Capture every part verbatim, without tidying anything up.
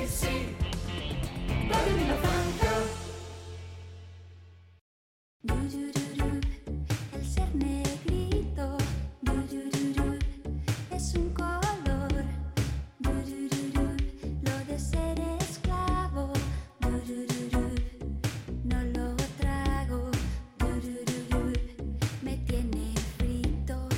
sí, Carolina Franca. El ser negrito es un color. Lo de ser esclavo no lo trago. Me tiene frito.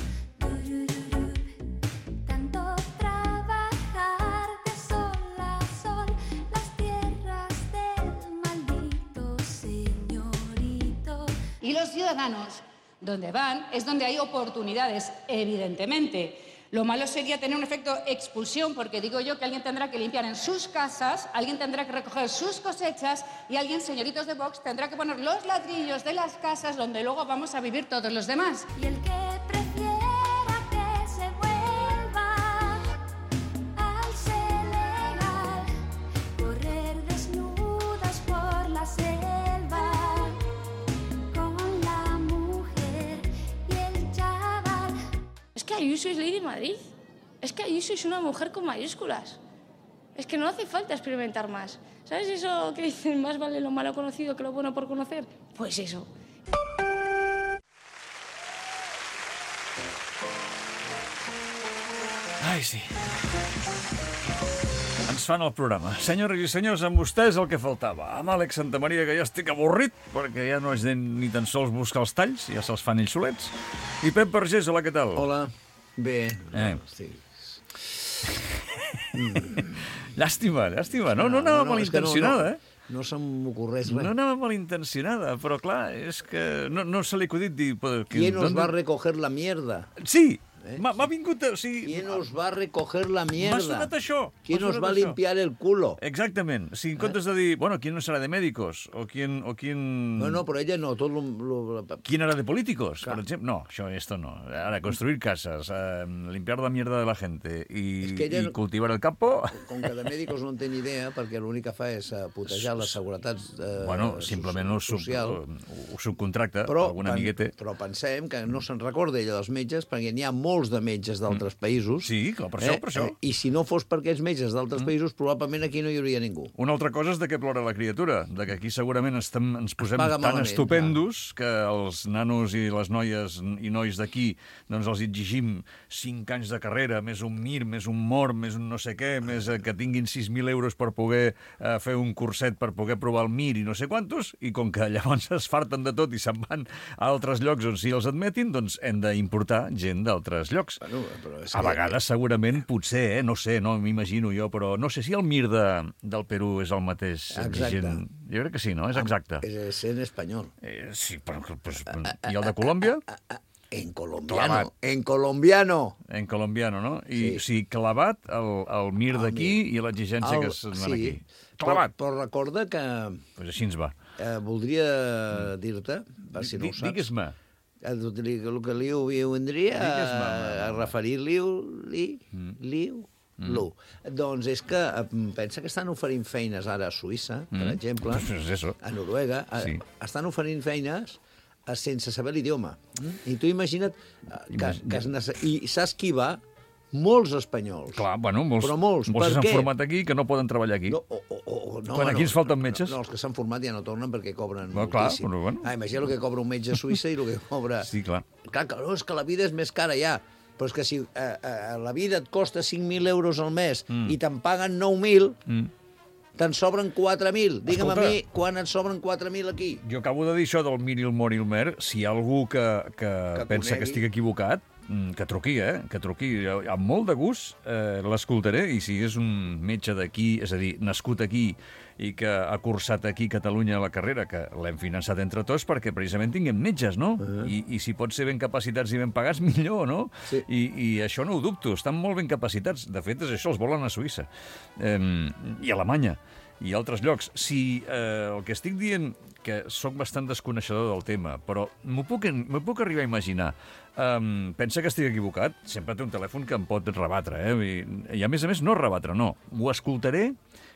Tanto trabajar de sol a sol las tierras del maldito señorito. Y los ciudadanos, donde van, es donde hay oportunidades, evidentemente. Lo malo sería tener un efecto expulsión, porque digo yo que alguien tendrá que limpiar en sus casas, alguien tendrá que recoger sus cosechas y alguien, señoritos de Vox, tendrá que poner los ladrillos de las casas donde luego vamos a vivir todos los demás. Y el que prefiera que se vuelva al Senegal, correr desnudas por la selva con la mujer y el chaval. Es que Ayuso es ley de Madrid. Es que Ayuso es una mujer con mayúsculas. Es que no hace falta experimentar más. ¿Sabes eso que dicen, más vale lo malo conocido que lo bueno por conocer? Pues eso. Ai, sí. Ens fan el programa. Senyores i senyors, amb vostès el que faltava. Amb Àlex Santamaria, que ja estic avorrit, perquè ja no és de ni tan sols buscar els talls, ja se'ls fan ells solets. I Pep Vergés, hola, què tal? Hola, bé. Eh. Sí. Llàstima, llàstima. No, no anava no, malintencionada, no, eh? No se m'ocorreix res. No anava malintencionada, però clar, és que no, no se li ha acudit dir... ¿Quién os va a recoger la mierda? Sí! Eh? M'ha vingut... O sigui, ¿Quién os va a recoger la mierda? m'ha sonat això. ¿Quién m'ha os sonat va a això. limpiar el culo? Exactament. Si en comptes de dir, bueno, ¿quién no será de médicos? O quién... O quién... No, no, però ella no. Tot lo, lo... ¿Quién hará de políticos, Claro. por ejemplo? No, això, esto no. Ahora, construir casas, eh, limpiar la mierda de la gente y, Es que ella y no- cultivar el campo... Com que de mèdicos no en té ni idea, perquè l'únic que fa és eh, putejar les seguretats eh, Bueno, simplement ho, sub, social. ho subcontracta Però, algun pen- amiguete. però pensem que no se'n recorda ella dels metges, perquè n'hi ha molts de metges d'altres països. Sí, clar, per això, per això. I si no fos per aquests metges d'altres Mm. països, probablement aquí no hi hauria ningú. Una altra cosa és de què plora la criatura, de que aquí segurament estem, ens posem paga tan malament, estupendos que els nanos i les noies i nois d'aquí doncs els exigim cinc anys de carrera, més un mir, més un mort, més un no sé què, més eh, que tinguin sis mil euros per poder eh, fer un curset, per poder provar el mir i no sé quantos, i com que llavors es farten de tot i se'n van a altres llocs on sí els admetin, doncs hem d'importar gent d'altres llocs. Bueno, però és A que- vegades, segurament, potser, eh? no sé, no m'imagino jo, però no sé si el mir de, del Perú és el mateix. Exacte. Gent... Jo crec que sí, no? És exacte. És en espanyol. Eh, sí, però... Pues, I el de Colòmbia? En colombiano. Clavat. En colombiano. En colombiano, no? I Sí. sí. sí, clavat el, el mir El d'aquí mir. i l'exigència El- que se'n van sí, aquí. Però, Clavat. però recorda que Pues així ens va. eh, voldria dir-te, per si no ho Di- saps, Digues-me. el, el que li vendria Digues-me, a, home, a home. referir-li li, liu, Mm. lo. Doncs és que eh, pensa que estan oferint feines ara a Suïssa, per Mm. exemple, Pues és eso. a Noruega, a, Sí. estan oferint feines eh, sense saber l'idioma. Mm? I tu imagina't eh, que, Imag- que es nece... I saps qui va? Molts espanyols. Clar, bueno, molts, Però molts. molts Per s'han què? format aquí que no poden treballar aquí. No, o, o, o, no, Quan aquí ens falten metges? No, no, els que s'han format ja no tornen perquè cobren Bueno, clar, moltíssim. però bueno. Ah, imagina el que cobra un metge a Suïssa i el que cobra... Sí, clar. Clar, que, no, és que la vida és més cara ja. Però és que si eh, eh, la vida et costa cinc mil euros al mes Mm. i te'n paguen nou mil, Mm. te'n sobren quatre mil. Digue'm Escolta. a mi quan et sobren quatre mil aquí. Jo acabo de dir això del mir i el mor i el mer. Si hi ha algú que, que, Que pensa conegui. que estic equivocat, mm, que truqui, eh? Que truqui. Amb molt de gust eh, l'escoltaré, i si és un metge d'aquí, és a dir, nascut aquí i que ha cursat aquí a Catalunya la carrera, que l'hem finançat entre tots perquè precisament tinguem metges, no? Uh-huh. I, I si pot ser ben capacitats i ben pagats, millor, no? Sí. I, I això no ho dubto, estan molt ben capacitats. De fet, és això, els volen a Suïssa. Eh, I a Alemanya i altres llocs. Si eh, el que estic dient, que sóc bastant desconeixedor del tema, però m'ho puc, m'ho puc arribar a imaginar. Um, pensa que estic equivocat? Sempre té un telèfon que em pot rebatre, eh? I, i a més a més no rebatre, no. Ho escoltaré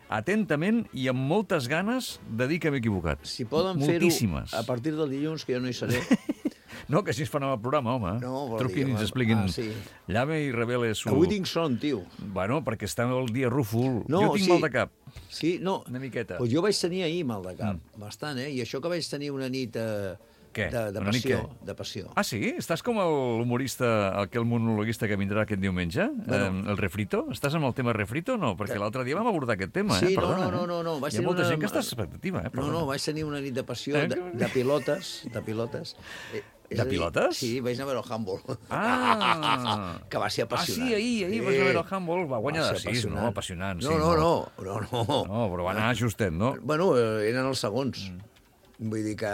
atentament i amb moltes ganes de dir que m'he equivocat. Si poden fer-ho Moltíssimes. a partir del dilluns, que jo no hi seré, No, que així es fan el programa, home. No, vol Truquin dir, i ens expliquin. ah, sí. Llame i revele su... Avui tinc son, tio. Bueno, perquè està el dia rúfol. No, jo tinc sí. mal de cap. Sí, no. Una miqueta. Pues jo vaig tenir ahir mal de cap, mm. bastant, eh? I això que vaig tenir una nit eh, Què? de, de Una nit passió. què? De passió. Ah, sí? Estàs com l'humorista, aquell monologuista que vindrà aquest diumenge? Bueno. Eh, el refrito? Estàs amb el tema refrito o no? Perquè l'altre dia vam abordar aquest tema, Sí, eh? no, Perdona, no, no, no, no. Vaig Hi ha tenir molta una- gent que està a expectativa, eh? No, Perdona. no, vaig tenir una nit de passió Eh, de, que- de pilotes, de pilotes. Eh, és De a dir, pilotes? Sí, vaig anar a veure el handball. Ah! Que va ser Ah, sí, apassionant. ahir, ahir vas a veure el handball, va guanyar de ser sis, no? Apassionant, sí. No, no, no, no, no. No, però va anar justet, no? Bueno, eh, eren els segons. Vull dir que...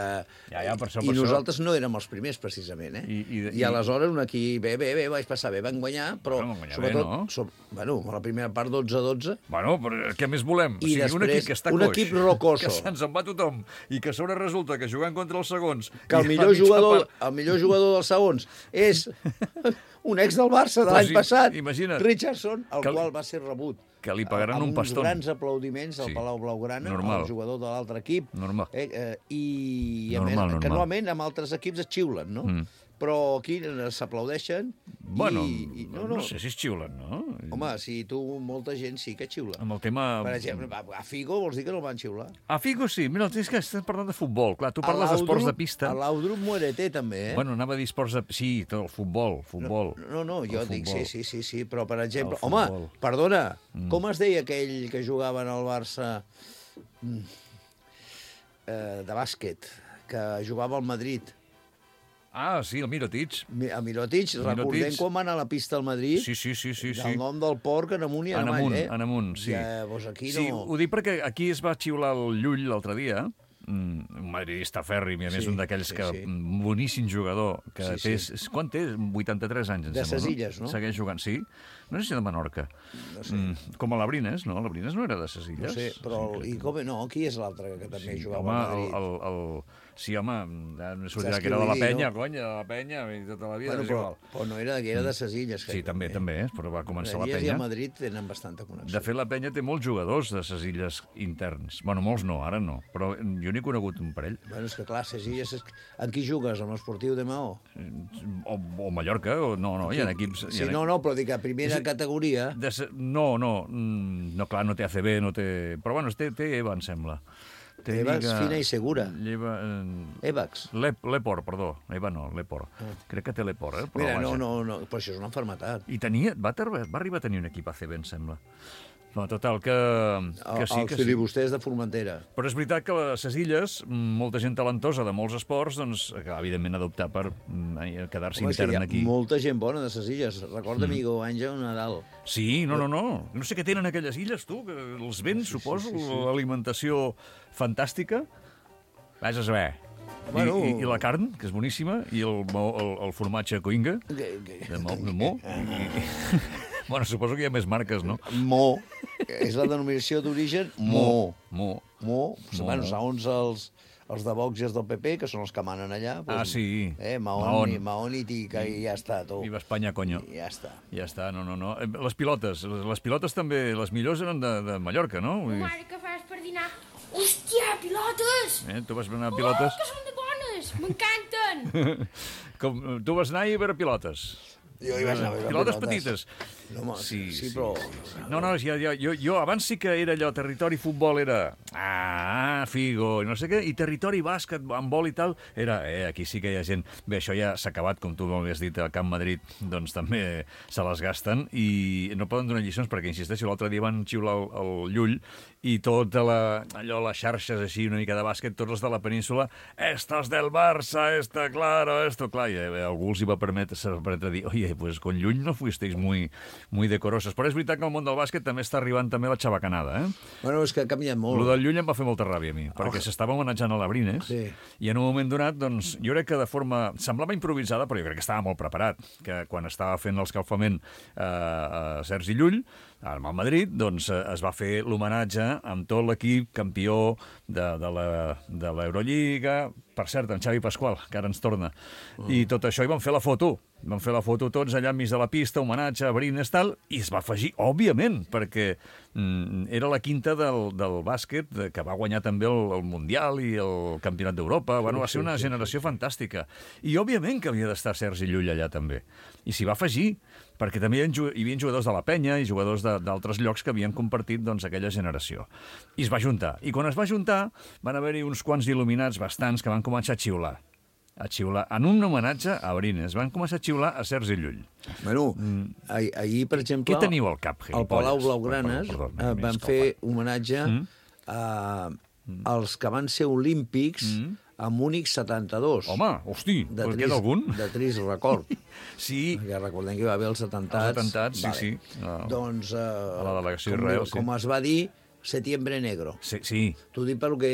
Ja, ja, per això, I per això. nosaltres no érem els primers, precisament, eh? I- i- I, i- aleshores un equip, bé, bé, bé, vaig passar bé, van guanyar, però Bueno, van guanyar sobretot, bé, no? so, bueno, a la primera part dotze a dotze, Bueno, però què més volem? I un després, equip que està un coix, equip rocoso. que se'ns en va tothom, i que a sobre resulta que jugant contra els segons... que el i a millor, mitja jugador, part- el millor jugador dels segons és un ex del Barça de Però l'any sí, passat, imagina't. Richardson, el Que li- qual va ser rebut que li pagaran amb un paston. uns grans aplaudiments al Sí. Palau Blaugrana, Normal. el jugador de l'altre equip. Normal. Eh, eh, I a Normal, més, normal. que normalment amb altres equips es xiulen, no? Mm. Però aquí s'aplaudeixen Bueno, i, i... no, no sé si es xiulen, no? Home, si tu, molta gent sí que xiula. Amb el tema... Per exemple, a a Figo vols dir que no el van xiular? A Figo sí, mira, és que estàs parlant de futbol. Clar, tu A parles d'esports de l'Audrup- pista. A l'Audrup Muerete, també, eh? Bueno, anava a dir esports de... Sí, tot el futbol, futbol. No, no, jo El dic, futbol. sí, sí, sí, sí, però, per exemple... El Home, futbol. perdona, mm. com es deia aquell que jugava en el Barça mm, eh, de bàsquet, que jugava al Madrid? Ah, sí, el Mirotic. Mi- A Mirotic, Mirotic. recordem quan va anar a la pista al Madrid? Sí, sí, sí, sí. sí. El nom del porc en amunt i en En avall, amunt, eh? en amunt, sí. Ja, doncs aquí Sí, no... ho dic perquè aquí es va xiular el Llull l'altre dia, mm, un madridista fèrrim, i a més Sí, un d'aquells sí, que... sí. mm, boníssim jugador, que Sí, té... sí. Quant té? vuitanta-tres anys, em De sembla, Sesilles, no? Segueix jugant, sí. No sé si de Menorca. No sé. Mm, com a l'Abrines, no? L'Abrines no era de Sesilles. No sé, però... Sí, I com... No, qui és l'altre que també Sí, jugava home, al el, Madrid? el, el, sí, home, ja no sortirà Saps que què era de la vull dir, penya, no? cony, de la penya, i tota la vida, Bueno, és però, igual. però no era, que era de Sesilles. Sí, també, també, eh? Però va començar la Sesilles i penya. el Madrid tenen bastanta connexió. De fet, la penya té molts jugadors de ses illes interns. Bueno, molts no, ara no, però jo n'he conegut un parell. Bueno, és que clar, Sesilles... És... En qui jugues? En l'Esportiu de Maó? O, o Mallorca, o no, no, hi ha equips... hi Sí, ha... no, no, però dic a primera Sí. categoria... De se... No, no, mm, no, clar, no té A C B, no té... Però bueno, té, té EVA, em sembla. Té Evax, Lliga- fina i segura. Lleva... Eh... Evax. L'Ep- L'Epor, perdó. EVA no, l'Epor. Crec que té l'Epor, eh? Però Mira, no, vaja. no, no, però això és una malaltia. I tenia... Va, ter... va arribar a tenir un equip A C B, em sembla. No, total, que, que sí, el que sí. filibusters de Formentera. Però és veritat que a les illes, molta gent talentosa de molts esports, doncs, que evidentment ha d'optar per mm, quedar-se Home, és que intern hi ha aquí. molta gent bona de ses illes. Recorda, mm. amigo, Àngel Nadal. Sí, no, no, no. No sé què tenen aquelles illes, tu, que els vents, sí, suposo, sí, sí, sí. L'alimentació fantàstica. Vés a saber. Bueno. I, i, I la carn, que és boníssima, i el, mo- el, el formatge coinga, Que- que- de mo. De mo. I, bueno, suposo que hi ha més marques, no? Mo. És la denominació d'origen Mo. Mo. Mo. Mo. Bueno, segons els, els de Vox i els del P P, que són els que manen allà. Ah, sí. Eh, Mahón, Mahón. i, Mahón i Tica, i ja està, tu. Viva Espanya, conyo. I ja està. Ja està, no, no, no. Eh, Les pilotes, les, les pilotes també, les millors eren de, de Mallorca, no? Vull dir, Mare, què fas per dinar? Hòstia, pilotes! eh, tu vas anar a pilotes? Oh, que són de bones! M'encanten! Com, tu vas anar a veure pilotes? Jo hi vaig anar a veure Pilotes pilotes. petites. No, home, sí, sí, sí. però... No, no, ja, ja, jo, jo abans sí que era allò, territori futbol era... Ah, Figo, i no sé què, i territori bàsquet, handbol i tal, era... Eh, aquí sí que hi ha gent... Bé, això ja s'ha acabat, com tu m'havies dit, al Camp Madrid, doncs també se les gasten, i no poden donar lliçons, perquè, insisteixo, l'altre dia van xiular el, el Llull, i tota la, allò, les xarxes així, una mica de bàsquet, tots els de la península, estos del Barça, está claro, esto, clar, i eh, algú els hi va permetre, se va permetre dir, oye, pues con Llull no fuisteis muy, muy decorosos. Però és veritat que el món del bàsquet també està arribant també la xabacanada, eh? Bueno, és que ha canviat molt. Lo del Llull em va fer molta ràbia a mi, perquè Oh. s'estava homenatjant a l'Abrines, Sí. i en un moment donat, doncs, jo crec que de forma... Semblava improvisada, però jo crec que estava molt preparat, que quan estava fent l'escalfament eh, a Sergi Llull, amb el Madrid, doncs eh, es va fer l'homenatge amb tot l'equip campió de, de la- de l'Eurolliga, per cert, en Xavi Pasqual, que ara ens torna. Mm. I tot això, i van fer la foto. Van fer la foto tots allà enmig de la pista, homenatge a Brines, tal, i es va afegir, òbviament, perquè mm, era la quinta del, del bàsquet, de, que va guanyar també el, el Mundial i el Campionat d'Europa. Bueno, va ser una generació fantàstica. I, òbviament, que havia d'estar Sergi Llull allà també. I s'hi va afegir, perquè també hi havia, hi havia jugadors de la penya i jugadors de- d'altres llocs que havien compartit doncs, aquella generació. I es va juntar. I quan es va juntar, van haver-hi uns quants il·luminats bastants que van començar a xiular. A xiular, en un homenatge a Brines. Van començar a xiular a Sergi Llull. Bueno, ahir, ahir, per exemple... Què teniu al cap, Al Palau gilipolles? Blaugranes Perdó, perdó, eh, més van que fer el homenatge a, als que van ser olímpics a Múnich setanta-dos. Home, hosti, de en trist, queda algun? De trist record. Sí, Perquè recordem que hi va haver els atemptats. Els atemptats, sí, sí. Ah. Doncs, eh, A la delegació com, Israel, sí. com es va dir, Setiembre Negro. sí, sí. T'ho dic pel que...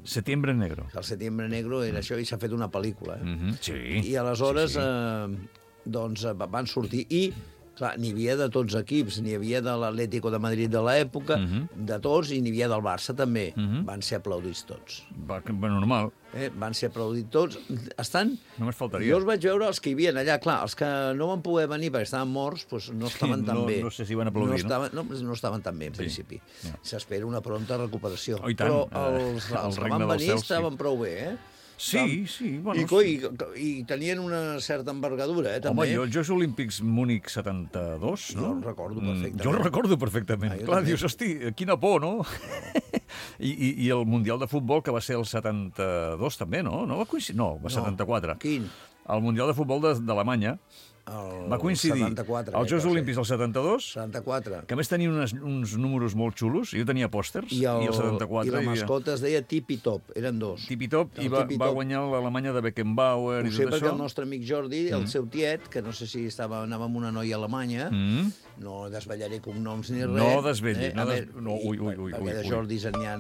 Setiembre negro. El Setiembre Negro era això i s'ha fet una pel·lícula. Eh? Mhm, sí. I aleshores Sí, sí. Eh, doncs, eh, van sortir i clar, n'hi havia de tots equips, n'hi havia de l'Atlético de Madrid de l'època, Mhm. de tots, i n'hi havia del Barça també. Van ser aplaudits tots. Va, que- va normal. Eh? Van ser aplaudits tots. Estan... Només faltaria. Jo els vaig veure els que hi havia allà. Clar, els que no van poder venir perquè estaven morts, doncs no estaven Sí, tan no- bé. no sé si van aplaudir, no? no? Estaven, no, no estaven tan bé, en Sí. principi. Ja. S'espera una pronta recuperació. Oh, i tant. Però Eh, els, el els que regne van dels venir cels, sí. estaven prou bé, eh? Sí, sí, bueno... I, coi, i, i tenien una certa envergadura, eh, Home, també. jo, els Jocs Olímpics Múnich setanta-dos, no? Jo el recordo Mm, perfectament. Jo el recordo perfectament. Ah, jo Clar, també. dius, hosti, quina por, no? I, i, I el Mundial de Futbol, que va ser el setanta-dos també, no? No va coincidir? No, va No. setanta-quatre. Quin? El Mundial de Futbol de- d'Alemanya El va coincidir setanta-quatre. als crec Jocs que va ser. Olímpics del setanta-dos, setanta-quatre. que a més tenien unes, uns números molt xulos. Jo tenia pòsters, I, el, i el setanta-quatre... I la hi havia mascota es deia Tipi Top, eren dos. Tipi Top, i El va, Tipi va Top. guanyar l'Alemanya de Beckenbauer Ho i sé tot perquè això. el nostre amic Jordi, el seu tiet, que no sé si estava, anava amb una noia alemanya, Mm. no desvetllaré cognoms ni res. No desvetlli, eh? no A des- veure, no, i- ui, ui, ui, Perquè ui, de ui. Jordis n'hi ha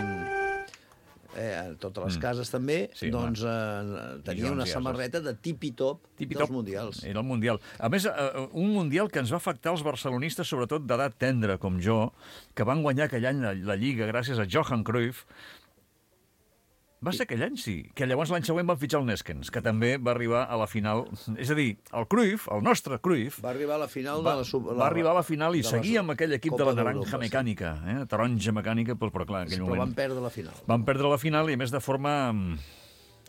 eh, a totes les cases també, Sí, doncs eh, tenia Dijons una i ases. samarreta de Tipi Top Tipi dels top. Mundials. Era el Mundial. A més, eh, un Mundial que ens va afectar els barcelonistes, sobretot d'edat tendra, com jo, que van guanyar aquell any la, la Lliga gràcies a Johan Cruyff. Va ser aquell any, sí. Que llavors l'any següent van fitxar el Neskens, que també va arribar a la final. És a dir, el Cruyff, el nostre Cruyff, Va arribar a la final va, de la... sub- va arribar a la final i de la seguia amb aquell equip de Copa la naranja d'Europa, sí. mecànica, eh? taronja mecànica, però, però clar, en aquell Però moment... van perdre la final. Van perdre la final i, a més, de forma... mm,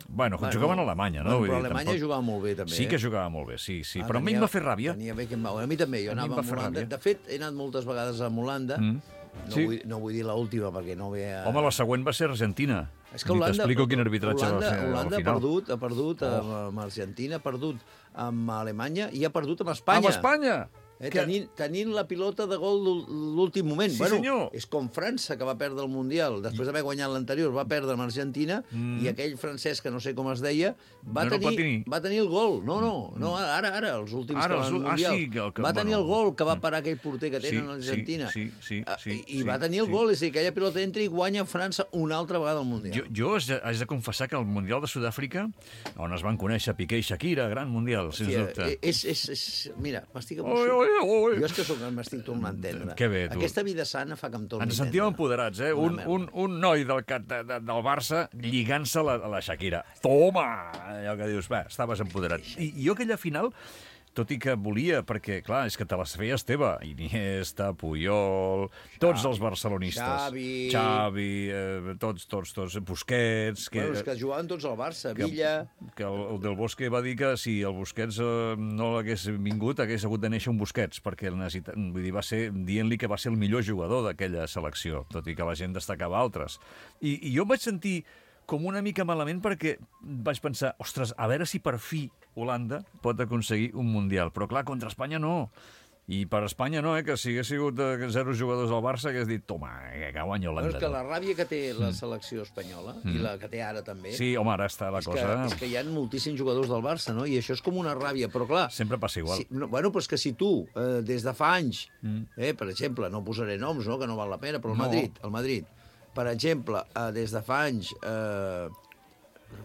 Bueno, Bueno, jugaven a Alemanya, no? Bueno, Vull però dir, Alemanya tampoc- jugava molt bé, també. Sí que eh? jugava molt bé, sí, sí. Ah, Però a mi tenia- em va fer ràbia. Tenia Beckenbauer. A mi també, jo A mi em anava va amb fer Holanda. ràbia. De fet, he anat moltes vegades a Holanda. Mm. No, Sí. vull, no vull dir l'última, perquè no ve a... Home, la següent va ser Argentina. És que Ni Holanda, t'explico quin arbitratge Holanda, va fer Holanda al ha final. perdut, ha perdut Oh. amb, amb Argentina, ha perdut amb Alemanya i ha perdut amb Espanya. Amb Espanya! Eh, Que- tenint, tenint la pilota de gol l'ú- l'últim moment. Sí, bueno, senyor. És com França, que va perdre el Mundial. Després d'haver guanyat l'anterior, va perdre amb Argentina, mm. i aquell francès, que no sé com es deia, va, No, no, tenir, Platini. va tenir el gol. No, no, no ara, ara, els últims Ara, que els van ul- al ah, Mundial. sí, que el que- va tenir bueno. el gol que va parar aquell porter que Sí, tenen a l'Argentina. sí, sí, sí, Ah, sí, I, i sí, va tenir el sí. gol, és a dir, que aquella pilota entra i guanya França una altra vegada al Mundial. Jo, jo haig de, haig de confessar que el Mundial de Sud-àfrica, on es van conèixer Piqué i Shakira, gran Mundial, sens Hòstia, dubte. és, és, és, mira, m'estic Oi, emocionant. oi, oi. Jo és que soc, m'estic tornant a entendre. Que bé, tu. Aquesta vida sana fa que em torni Ens a sentíem entendre. empoderats, eh? Una Un, merda. un, un noi del, cat- de, de, del Barça lligant-se a la, a la Shakira. Toma! Allò que dius, va, estaves empoderat. I, i jo aquella final, tot i que volia, perquè, clar, és que te les feies teva. Iniesta, Puyol, tots els barcelonistes. Xavi. Xavi, eh, tots, tots, tots. Busquets. Que, Bueno, és que jugaven tots al Barça, que, Villa... que el, el del Bosque va dir que si el Busquets eh, no l'hagués vingut, hagués hagut de néixer un Busquets, perquè el necessita, vull dir, va ser dient-li que va ser el millor jugador d'aquella selecció, tot i que la gent destacava altres. I, i jo em vaig sentir com una mica malament perquè vaig pensar, ostres, a veure si per fi Holanda pot aconseguir un Mundial. Però clar, contra Espanya no. I per Espanya no, eh, que si hagués sigut eh, zero jugadors al Barça, hagués dit, toma, eh, que guanya Bueno, Holanda. és que la no?" ràbia que té la selecció espanyola, i la que té ara també, Sí, home, ara està la és, cosa... que, és que hi ha moltíssims jugadors del Barça, no? I això és com una ràbia, però clar... Sempre passa igual. Si, no, bueno, però és que si tu, eh, des de fa anys, eh, per exemple, no posaré noms, no?, que no val la pena, però el No. Madrid, el Madrid, per exemple, eh, des de fa anys, eh,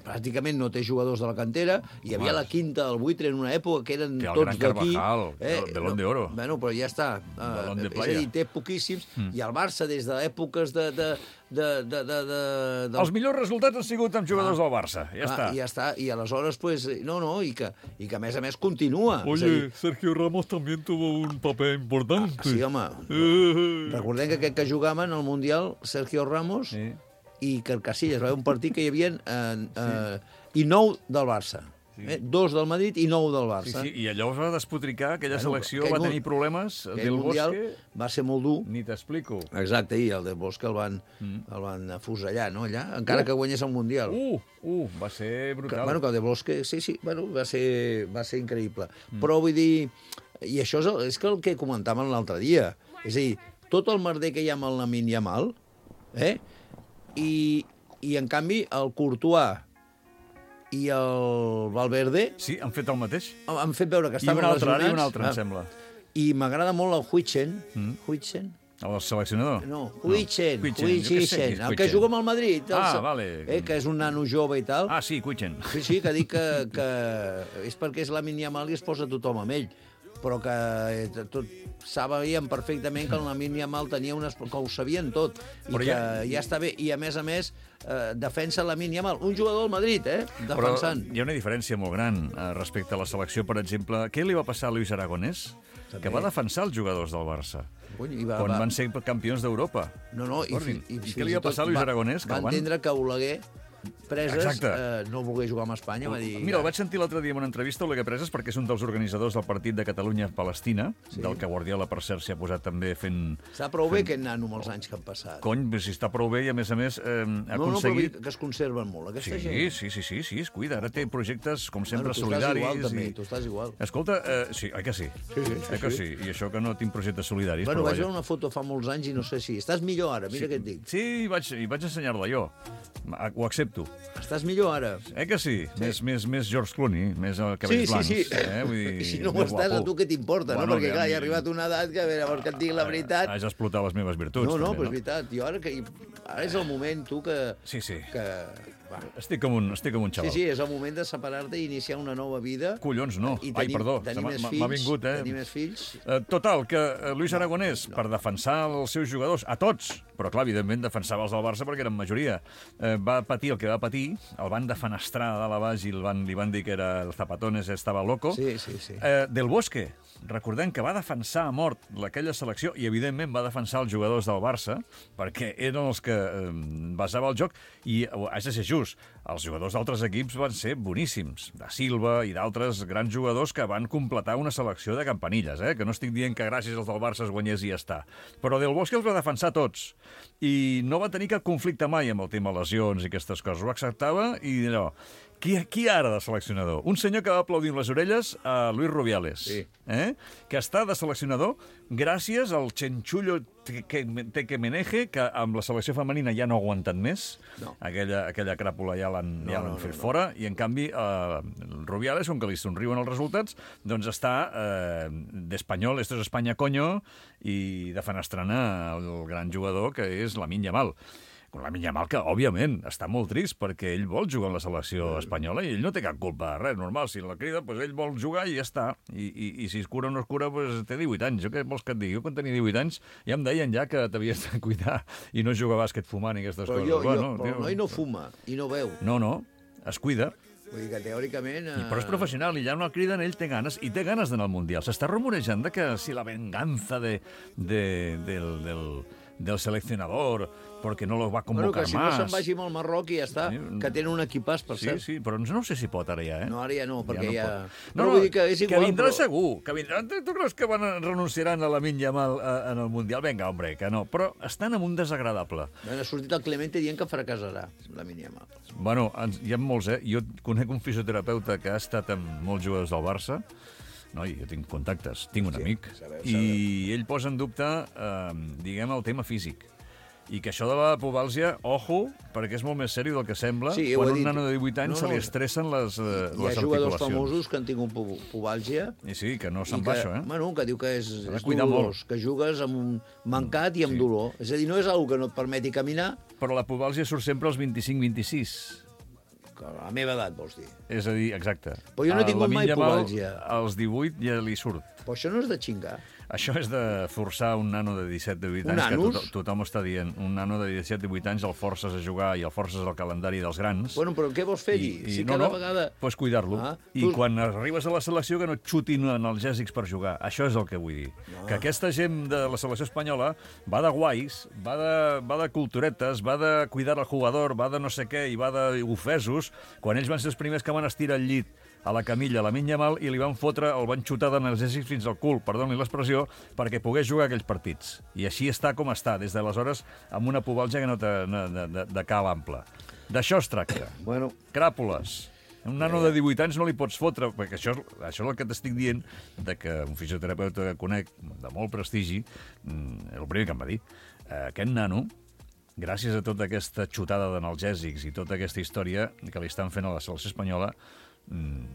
pràcticament no té jugadors de la cantera, hi havia Home. la quinta del buitre en una època que eren Té el tots gran d'aquí. Carvajal, el Balón de Oro. Bueno, però ja està. Balón de Uh, és a playa. dir, té poquíssims, Mm. i el Barça, des d'èpoques de... de, de, de, de, de, de Els millors resultats han sigut amb jugadors del Barça. Ja Ah, està. I ja està. I aleshores, pues, no, no, i que, i que a més a més continua. És a dir, Oye, Sergio Ramos también tuvo un papel importante. sí, home. Eh. Recordem que aquest que jugava en el Mundial, Sergio Ramos, Sí. i que el Casillas, va haver un partit que hi havia eh, eh, i nou del Barça. Eh? Dos del Madrid i nou del Sí, Barça. sí, i allò es va despotricar, aquella Bueno, selecció aquell va mu- tenir problemes. Aquell Del Mundial Bosque, va ser molt dur. ni t'explico. Exacte, i el Del Bosque el van, Mm. el van afusellar, no, allà? Encara Uh. que guanyés el Mundial. Uh, uh, va ser Que, brutal. bueno, que el De Bosque, sí, sí, bueno, va ser, va ser increïble. Mm. Però vull dir, i això és, el, és que el que comentàvem l'altre dia, és a dir, tot el merder que hi ha amb el Lamine Yamal, eh? I, i en canvi el Courtois i el Valverde Sí, han fet el mateix. han fet veure que I estaven un altre, ara i lesionats. un altre, em Ah, sembla. I m'agrada molt el Huichen. Mm. Huichen? El seleccionador? No, Huichen, Huichen, Huichen, jo què sé qui és el que Huichen. juga amb el Madrid. El, Ah, sa- vale. Eh, que és un nano jove i tal. Ah, sí, Cuichen. Sí, sí, que dic que, que és perquè és Lamine Yamal i es posa tothom amb ell. Però que eh, tot, sabíem perfectament que el Lamine Yamal tenia unes... que ho sabien tot. I Però que ja- ja... està bé. I, a més a més, eh, defensa Lamine Yamal. Un jugador del Madrid, eh? Defensant. Però hi ha una diferència molt gran eh, respecte a la selecció, per exemple. Què li va passar a Luis Aragonès? També. Que va defensar els jugadors del Barça. Cony, i va, Quan va... van ser campions d'Europa. No, no, i, Recordin. fi- i, I què fins li va i tot passar a Luis va- Aragonès? Que Va el van- entendre que Oleguer, preses, Exacte. eh, no voler jugar amb Espanya. Va dir, Mira, el vaig sentir l'altre dia en una entrevista a Oleguer Preses perquè és un dels organitzadors del partit de Catalunya-Palestina, Sí. del que Guardiola, per cert, s'hi ha posat també fent... Està prou bé aquest nano amb els anys que han passat. Cony, si està prou bé i, a més a més, eh, ha no, no, però vull aconseguit... dir que es conserven molt, aquesta Sí, gent. sí, sí, sí, sí, es cuida. Ara té projectes, com sempre, Bueno, tu estàs solidaris. igual, també, i... tu estàs igual. Escolta, eh, sí, oi que sí? Sí, sí, Eh que sí? I això que no tinc projectes solidaris, Bueno, però vaig vaja. veure una foto fa molts anys i no sé si... Estàs millor ara, mira sí, què et dic. Sí, i vaig, i vaig ensenyar-la jo. Ah, Ho accepto. Estàs millor ara. Eh que sí? sí. Més, més, més George Clooney, més el Sí, cabells sí, blancs. sí. Eh? Vull dir, I si no ho més estàs, a guapo. tu què t'importa, Bueno, no? Perquè, que clar, a hi mi- ha arribat una edat que, a veure, vols que et digui la veritat... Has d'explotar les meves virtuts. No, no, també, però és veritat. Jo ara, que, ara és el moment, tu, que... Sí, sí. que va. Estic com un, estic com un Sí, xaval. sí, és el moment de separar-te i iniciar una nova vida. Collons, no. I Ai, tenir, perdó, tenir se m'ha- més m'ha fills, vingut, eh? Tenir més fills. Eh, Total, que eh, Luis Aragonès, no, no. per defensar els seus jugadors, a tots, però clar, evidentment defensava els del Barça perquè eren majoria, eh, va patir el que va patir, el van defenestrar de dalt a baix i el van, li van dir que era el Zapatones estava loco. Sí, sí, sí. Eh, Del Bosque, recordem que va defensar a mort aquella selecció i, evidentment, va defensar els jugadors del Barça perquè eren els que eh, basava el joc i, eh, has de ser just, els jugadors d'altres equips van ser boníssims, de Silva i d'altres grans jugadors que van completar una selecció de campanilles, eh? Que no estic dient que gràcies als del Barça es guanyés i ja està. Però Del Bosque els va defensar tots i no va tenir cap conflicte mai amb el tema lesions i aquestes coses. Ho acceptava i allò... Qui, qui ara de seleccionador? Un senyor que va aplaudir amb les orelles a Luis Rubiales, Sí. eh? que està de seleccionador gràcies al Chenchullo Tekemeneje, que amb la selecció femenina ja no ha aguantat més. No. Aquella, aquella cràpula ja l'han No, ja no, l'han no, fet no. fora, i en canvi eh, Rubiales, com que li somriuen els resultats, doncs està eh, d'espanyol, esto es España, coño, i defenestrant el gran jugador que és Lamine Yamal. Lamine Yamal, que, òbviament, està molt trist perquè ell vol jugar en la selecció espanyola i ell no té cap culpa de res, normal. Si la crida, doncs ell vol jugar i ja està. I, i, i si es cura o no es cura, doncs té divuit anys. Jo què vols que et digui? Jo quan tenia divuit anys ja em deien ja que t'havies de cuidar i no jugar a bàsquet fumant i aquestes Però, coses. jo, jo, Bueno, però tio, el noi no fuma i no veu. No, no, es cuida. Vull dir que teòricament... I, Eh... però és professional i ja no el criden, ell té ganes, i té ganes d'anar al Mundial. S'està rumorejant de que si la venganza de, de, del, del, del seleccionador perquè no lo va Bueno, convocar que si no más. se'n vagi amb el Marroc i ja està, Sí. que tenen un equipàs, per Sí, cert. sí, però no sé si pot ara ja, eh? No, ara ja no, perquè ja... pot. Però vull dir que és igual, que vindrà però- segur, que vindrà. Tu tu creus que van a- renunciaran a la Lamine Yamal eh, en el Mundial? Vinga, hombre, que no. Però estan en un desagradable. Ha sortit el Clemente dient que fracassarà, la Yamal. Bueno, ens, hi ha molts, eh? Jo conec un fisioterapeuta que ha estat amb molts jugadors del Barça. Noi, jo tinc contactes, tinc un Sí, amic. sabeu, I ell posa en dubte, eh, diguem, el tema físic. I que això de la pubàlsia, ojo, perquè és molt més sèrio del que sembla. Sí, ho quan he un dit. nano de divuit anys No, se li no. estressen les, eh, Hi ha les jugadors articulacions. famosos que han tingut pu pubàlgia I sí, que no i se'n que, va això, eh? bueno, que diu que és, S'ha de és cuidar dolorós, molt. que jugues amb un mancat i amb Sí. dolor. És a dir, no és una que no et permeti caminar. Però la pubàlsia surt sempre als vint-i-cinc vint-i-sis. A la meva edat, vols dir. És a dir, exacte. Però jo no he A tingut Lamine mai Yamal, pubalgia. als divuit ja li surt. Però això no és de xingar. Això és de forçar un nano de disset divuit Un anys, que anus? tothom, tothom està dient. Un nano de disset divuit anys el forces a jugar i el forces al calendari dels grans. Bueno, però què vols fer allí? Si no, cada no, vegada... Pues cuidar-lo. Ah, I tu- quan arribes a la selecció que no et xutin analgèsics per jugar. Això és el que vull dir. Que aquesta gent de la selecció espanyola va de guais, va de, va de culturetes, va de cuidar el jugador, va de no sé què i va d'ofesos, quan ells van ser els primers que van estirar el llit a la camilla, a la Lamine Yamal, i li van fotre, el van xutar d'analgèsics fins al cul, perdoni l'expressió, perquè pogués jugar aquells partits. I així està com està, des d'aleshores, amb una pubalgia que no té de, de, de, de cal ample. D'això es tracta. Bueno, Cràpules. Un nano de divuit anys no li pots fotre, perquè això, això és el que t'estic dient, de que un fisioterapeuta que conec, de molt prestigi, mm, el primer que em va dir, eh, aquest nano, gràcies a tota aquesta xutada d'analgèsics i tota aquesta història que li estan fent a la selecció espanyola, mm,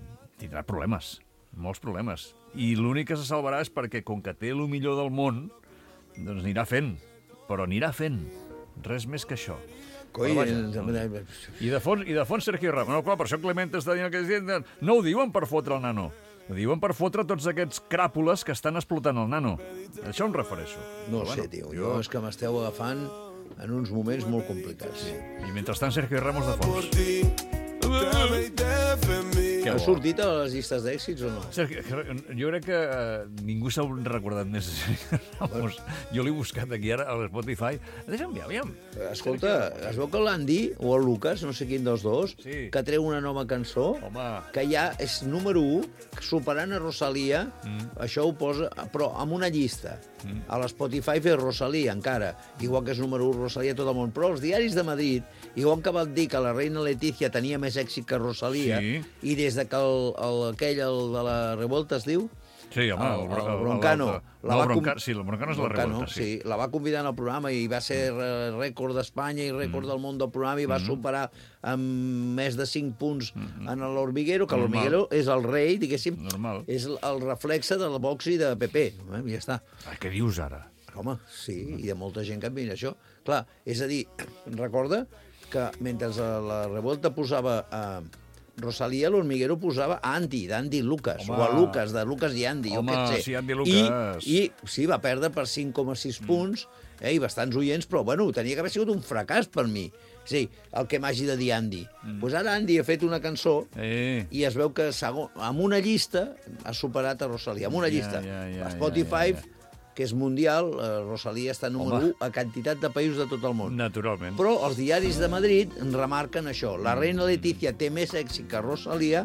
tindrà problemes, molts problemes. I l'únic que se salvarà és perquè, com que té el millor del món, doncs anirà fent, però anirà fent. Res més que això. coi... Però vaja, eh, I de fons, i de fons Sergio Ramos. No, clar, per això Clement està dient que no ho diuen per fotre el nano. Ho diuen per fotre tots aquests cràpules que estan explotant el nano. A això em refereixo. No Però ho sé, tio. Jo és que m'esteu agafant en uns moments molt complicats. I mentrestant Sergio Ramos de fons. Que Ha bo. sortit a les llistes d'èxits o no? Sergio, jo crec que eh, ningú s'ha recordat més de Sergio Ramos. Jo l'he buscat aquí ara a l'Spotify. Deixa'm mirar, aviam. Escolta, es veu que l'Andy o el Lucas, no sé quin dels dos, Sí. que treu una nova cançó, Home. que ja és número u, superant a Rosalia, mm. això ho posa, però amb una llista. Mm. A l'Spotify fer Rosalia, encara, igual que és número u Rosalia a tot el món. Però els diaris de Madrid, igual que van dir que la reina Letícia tenia més èxit que Rosalia, Sí. i des de que el, el, aquell, el de la revolta es diu, Sí, home, el, el, el Broncano. La no, va el com- Broncano, sí, el Broncano és la Broncano, revolta, sí. sí. La va convidar al programa i va ser eh, rècord d'Espanya i rècord mm. del món del programa i va mm. superar amb més de cinc punts mm. en l'Hormiguero, que Normal. l'Hormiguero és el rei, diguéssim, Normal. és el reflexe del box i de P P. Eh? I ja està. Ai, què dius ara? Home, sí, i de molta gent que admira això. Clar, és a dir, recorda que mentre la revolta posava a Rosalia, l'Hormiguero posava a Andy, d'Andy Lucas, Home. o a Lucas, de Lucas i Andy, Home, jo què sé. sí, Andy Lucas. I, I sí, va perdre per cinc coma sis mm. punts, eh, i bastants oients, però bueno, tenia que haver sigut un fracàs per mi. Sí, el que m'hagi de dir Andy. Doncs mm. pues ara Andy ha fet una cançó Eh. i es veu que segon, amb una llista ha superat a Rosalia, amb una Ja, llista. ja, ja, a Spotify, ja, ja. que és mundial, eh, Rosalia està número Home. u a quantitat de països de tot el món. Naturalment. Però els diaris de Madrid remarquen això. La reina Letícia té més èxit que Rosalia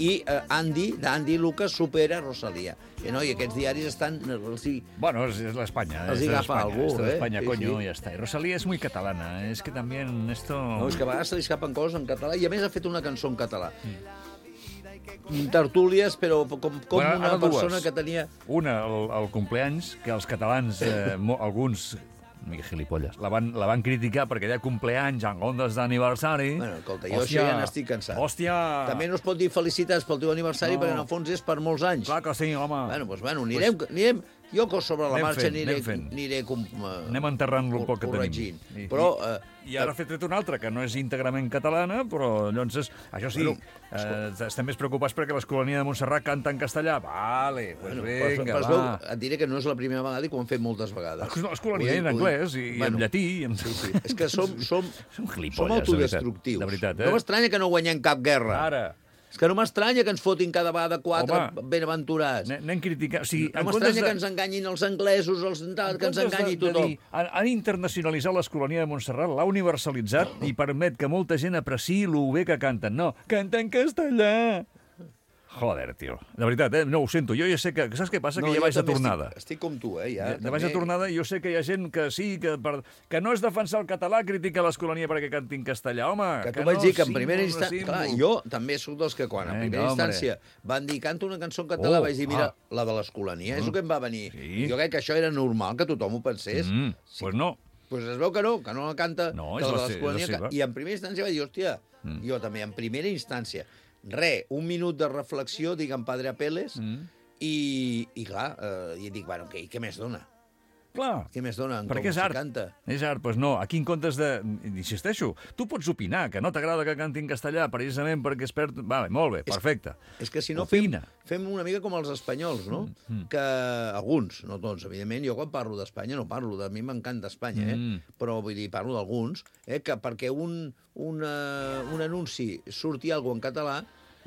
i eh, Andy, d'Andy Lucas, supera Rosalia. I, no, I aquests diaris estan... eh, Els hi... Bueno, es, es la España. Els es hi de agafa España, algú, esto de eh? España, Sí, coño, sí. ya está. Y Rosalía es muy catalana. Es que también esto... No, és que a vegades se li escapen coses en català i a més ha fet una cançó en català. Tertúlies, però com, com Bueno, una ara dues. persona que tenia... Una, el, el compleanys, que els catalans, eh, mo, alguns, mica gilipolles, la van, la van criticar perquè deia compleanys en ondes d'aniversari. Bueno, escolta, jo això ja n'estic cansat. Hòstia! També no es pot dir felicitats pel teu aniversari No. perquè en el fons és per molts anys. Clar que sí, home. Bueno, doncs, bueno, anirem, anirem, jo que sobre la Anem marxa fent, aniré, anem fent. aniré com, uh, Anem enterrant-lo el poc que corregint. tenim. I- Però, I, eh, I ara ha fet una altra, que no és íntegrament catalana, però llavors, és, això sí, Bueno, eh, estem més preocupats perquè l'Escolania de Montserrat canta en castellà. Vale, pues bueno, vinga, però, però es va. veu, et diré que no és la primera vegada i que ho hem fet moltes vegades. L'Escolania en anglès i, i en llatí. I en... Sí, sí. És que som, som, Som gilipolles, som de autodestructius. veritat, de veritat, eh? No m'estranya que no guanyem cap guerra. Ara, És que no m'estranya que ens fotin cada vegada quatre Home, benaventurats. anem anem criticant... O sigui, No en comptes m'estranya de- que ens enganyin els anglesos, els tal, que ens en comptes enganyi de- de tothom. dir, han, han internacionalitzat l'Escolania de Montserrat, l'ha universalitzat i permet que molta gent apreciï lo bé que canten. No, canta en castellà! Joder, tio. De veritat, eh? No, ho sento. Jo ja sé que... Saps què passa? Que ja jo vaig de també tornada. Estic, estic com tu, eh? Ja, Ja, de baix de tornada, jo sé que hi ha gent que sí, que, per, que no és defensar el català, critica l'Escolania perquè canti en castellà. Home, Que que tu vaig no, dir que en símbol, primera no instància... Clar, símbol. jo també sóc dels que quan, en Vinga, primera hombre. instància, van dir canta una cançó en català, Oh, vaig dir, mira, ah. la de l'Escolania, és el que em va venir. Sí. Jo crec que això era normal, que tothom ho pensés. Mm, pues no. Pues es veu que no, que no la canta, No, que és la la de se- l'Escolania... és la seva. que- I en primera instància vaig dir, hòstia, Mm. jo també, en primera instància, re, un minut de reflexió, dic en Padre Apeles, Mm. i, i clar, eh, i dic, bueno, què, i què més dona? Clar, Què més donen? perquè Com és s'hi art. canta? És art, doncs no. Aquí en comptes de... Insisteixo, tu pots opinar, que no t'agrada que canti en castellà precisament perquè es perd... Vale, molt bé, perfecte. És que si no fem, Opina. fem una mica com els espanyols, no? Mm. Que alguns, no tots, evidentment, jo quan parlo d'Espanya no parlo, de a mi m'encanta Espanya, eh? Mm. Però vull dir, parlo d'alguns, eh? Que perquè un, una, un anunci surti alguna en català,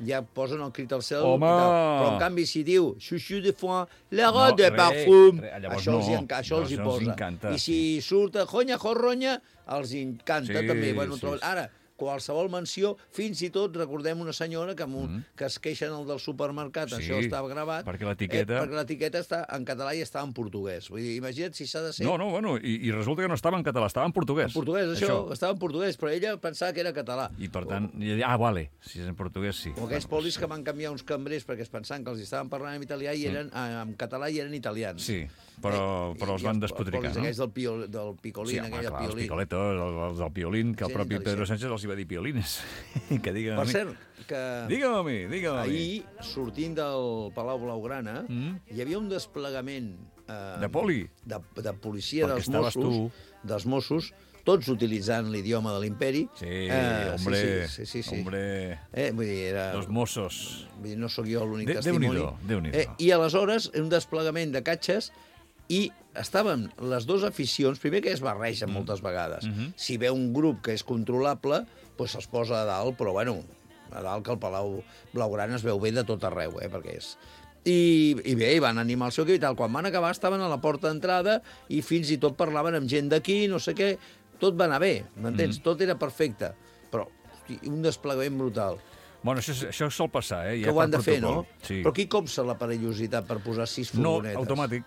ja posen el crit al cel. Home! I tal. Però, en canvi, si diu «Chouchou de foin, la No, robe de re, parfum», re, llavors això, els, hi no. enca això els hi Això els posa. encanta, I si surt «Jonya, jorronya», els hi encanta Sí, també. Bueno, sí, trobo... sí. Ara, qualsevol menció, fins i tot recordem una senyora que, mm. que es queixen el del supermercat, Sí, això estava gravat, perquè l'etiqueta- eh, perquè l'etiqueta està en català i està en portuguès. Vull dir, imagina't si s'ha de ser No, no, bueno, i, i resulta que no estava en català, estava en portuguès. en portuguès, això, això, estava en portuguès, però ella pensava que era català. I per tant, i ella, ah, vale, si és en portuguès, sí. O aquells polis que van canviar uns cambrers perquè es pensaven que els estaven parlant en italià i eren eh, en català i eren italians. Sí, però, però els I van els despotricar, polis no? aquells del, pio, del picolín, Sí, home, aquell del clar, els piolín. picoletos, els, els del piolín, que el Sí, propi intel·ligent. Pedro Sánchez els hi va dir piolines. que digue'm a Per mi. cert, que... Digue'm a mi, digue'm a mi. Ahir, sortint del Palau Blaugrana, Mm. hi havia un desplegament... Eh, De poli? De, de policia Perquè dels estaves Mossos, dels Mossos, tots utilitzant l'idioma de l'imperi. Sí, Eh, hombre, sí, sí, sí, sí. hombre, Eh, vull dir, era... los mossos. Vull dir, no sóc jo l'únic De- testimoni. Déu-n'hi-do, Déu-n'hi-do. Eh, I aleshores, un desplegament de catxes i estaven les dues aficions, primer que es barregen moltes vegades. Mhm. Si ve un grup que és controlable, doncs se'ls posa a dalt, però bueno, a dalt que el Palau Blaugrana es veu bé de tot arreu, eh, perquè és... I, I bé, i van animar el seu equip i tal. Quan van acabar estaven a la porta d'entrada i fins i tot parlaven amb gent d'aquí, no sé què. Tot va anar bé, m'entens? Mhm. Tot era perfecte. Però, hosti, un desplegament brutal. Bueno, això, això sol passar, eh? Ja Que ho han per de fer, no? protocol. Sí. Però qui copsa la perillositat per posar sis No, furgonetes? automàtic.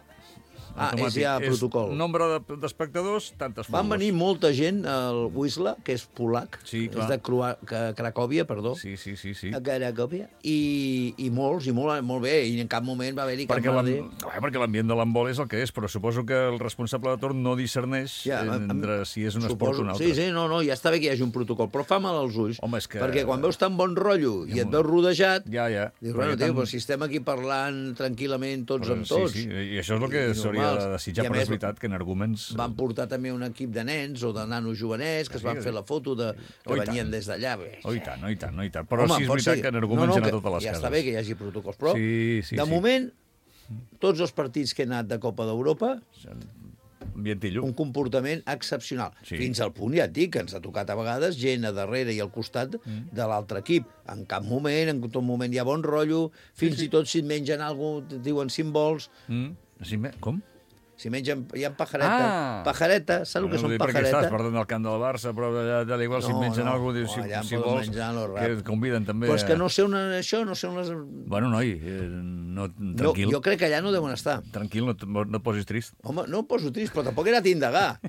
Ah, és Automàtic. ja protocol. Nombre de- d'espectadors, tantes Van furgos. venir molta gent al Wisla, que és polac, Sí, clar. és de Crua, que, Cracòvia, perdó, Sí, sí, sí, sí. a Cracòvia, i, i molts, i molt, molt bé, i en cap moment va haver-hi cap Perquè l'am- merder. Bé, perquè l'ambient de l'handbol és el que és, però suposo que el responsable de torn no discerneix Ja, em- entre si és un esport o un altre. Sí, sí, no, no, ja està bé que hi hagi un protocol, però fa mal als ulls, Home, és que- perquè quan veus tan bon rotllo i et veus rodejat, Ja, ja. dius, Perquè bueno, tio, tant- però si estem aquí parlant tranquil·lament tots Però amb tots. Sí, sí, i això és el que i s'hauria normals. de desitjar, I a però més, és veritat que en arguments... van portar també un equip de nens o de nanos jovenets que es van Sí, fer la foto de, que Oh, i venien tant. des d'allà. Bé. Oh, i tant, no, i tant, no, i tant. Però Home, sí és pot veritat ser- que en arguments no, no, hi ha a que totes les ja cases. està bé que hi hagi protocols, però Sí, sí, de sí. moment, tots els partits que he anat de Copa d'Europa, Ambientillo. un comportament excepcional. Sí. Fins al punt, ja et dic, que ens ha tocat a vegades gent a darrere i al costat Mm. de l'altre equip. En cap moment, en tot moment hi ha bon rotllo, fins i tot si et mengen alguna cosa, et diuen símbols, Mm? Sí, me- com? si mengen, hi ha pajareta, Ah! pajareta, saps el que No, són dic perquè pajareta? estàs perdent el camp del Barça, però allà, allà igual si et No, mengen no. alguna cosa, dius, si, Oh, allà em si poden vols, menjar lo rap. que et conviden també. Però és que a- no sé on, això, no sé on les... Bueno, noi, eh, no, No, tranquil, jo crec que allà no deuen estar. tranquil, no, et- no et posis trist. Home, no em poso trist, però tampoc he anat a indagar.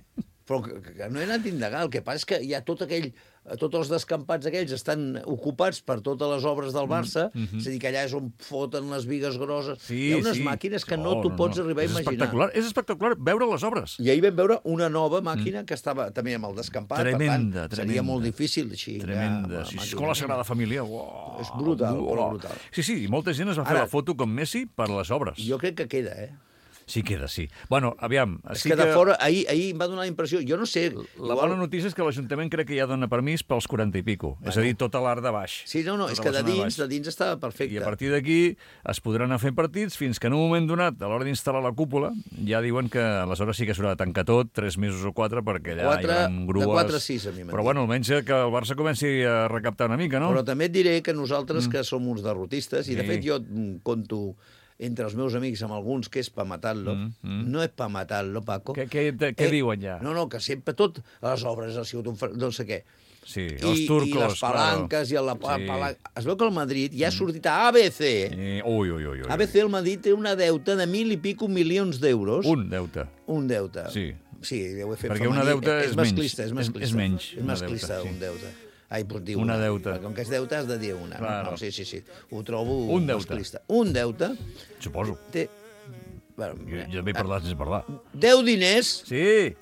Però que, que no he anat a indagar. El que passa és que hi ha tot aquell... Tots els descampats aquells estan ocupats per totes les obres del Barça, mm -hmm. és a dir, que allà és on foten les vigues grosses. Sí, Hi ha unes sí. màquines que no Oh, t'ho pots arribar a és imaginar. Espectacular. És espectacular veure les obres. I ahir vam veure una nova màquina mm. que estava també amb el descampat, Tremenda, per tant, tremenda. seria molt difícil. Així, Tremenda. Ja, Sí, amb- Escola Sagrada Família. Uau, És brutal, uau. però brutal. Sí, sí, i molta gent es va fer Ara- la foto com Messi per les obres. Jo crec que queda, eh? Sí queda, sí. Bueno, aviam. És sí que de fora, ahir, ahir em va donar la impressió, jo no sé... La bona notícia és que l'Ajuntament crec que ja dona permís pels quaranta i pico. Bueno. És a dir, tota l'art de baix. Sí, no, no, Tota és que la de zona dins, baix. de dins estava perfecte. I a partir d'aquí es podran anar fent partits fins que en un moment donat, a l'hora d'instal·lar la cúpula, ja diuen que aleshores sí que s'haurà de tancar tot, tres mesos o quatre, perquè allà Quatre- hi haurà grues... de quatre a sis, a mi m'han Però dit. bueno, almenys que el Barça comenci a recaptar una mica, no? Però també et diré que nosaltres, mm. que som uns derrotistes, i de Sí. fet jo mm, conto entre els meus amics amb alguns que és pa matar-lo, Mm, mm. no és pa matar-lo, Paco. Què, què, què diuen ja? No, no, que sempre tot, a les obres ha sigut un... fer- no sé què. Sí, I, els turcos, I les palanques, claro. i la Sí. palanca... Es veu que el Madrid ja ha sortit a A B C. Eh, ui, ui, ui, ui. A B C, el Madrid té una deuta de mil i pico milions d'euros. Un deute. Un deute. Sí. Sí, ho he fet Perquè femení. una deuta és masclista, menys. És masclista, És menys, És una masclista, deuta, sí. un deute. Ai, doncs dir Una una. deuta. Perquè com que és deute has de dir una. Claro. No? No, sí, sí, sí. Ho trobo Un deute. masclista. Un deute Suposo. té... Bueno, Jo, jo també he parlat sense parlar. deu diners, Sí.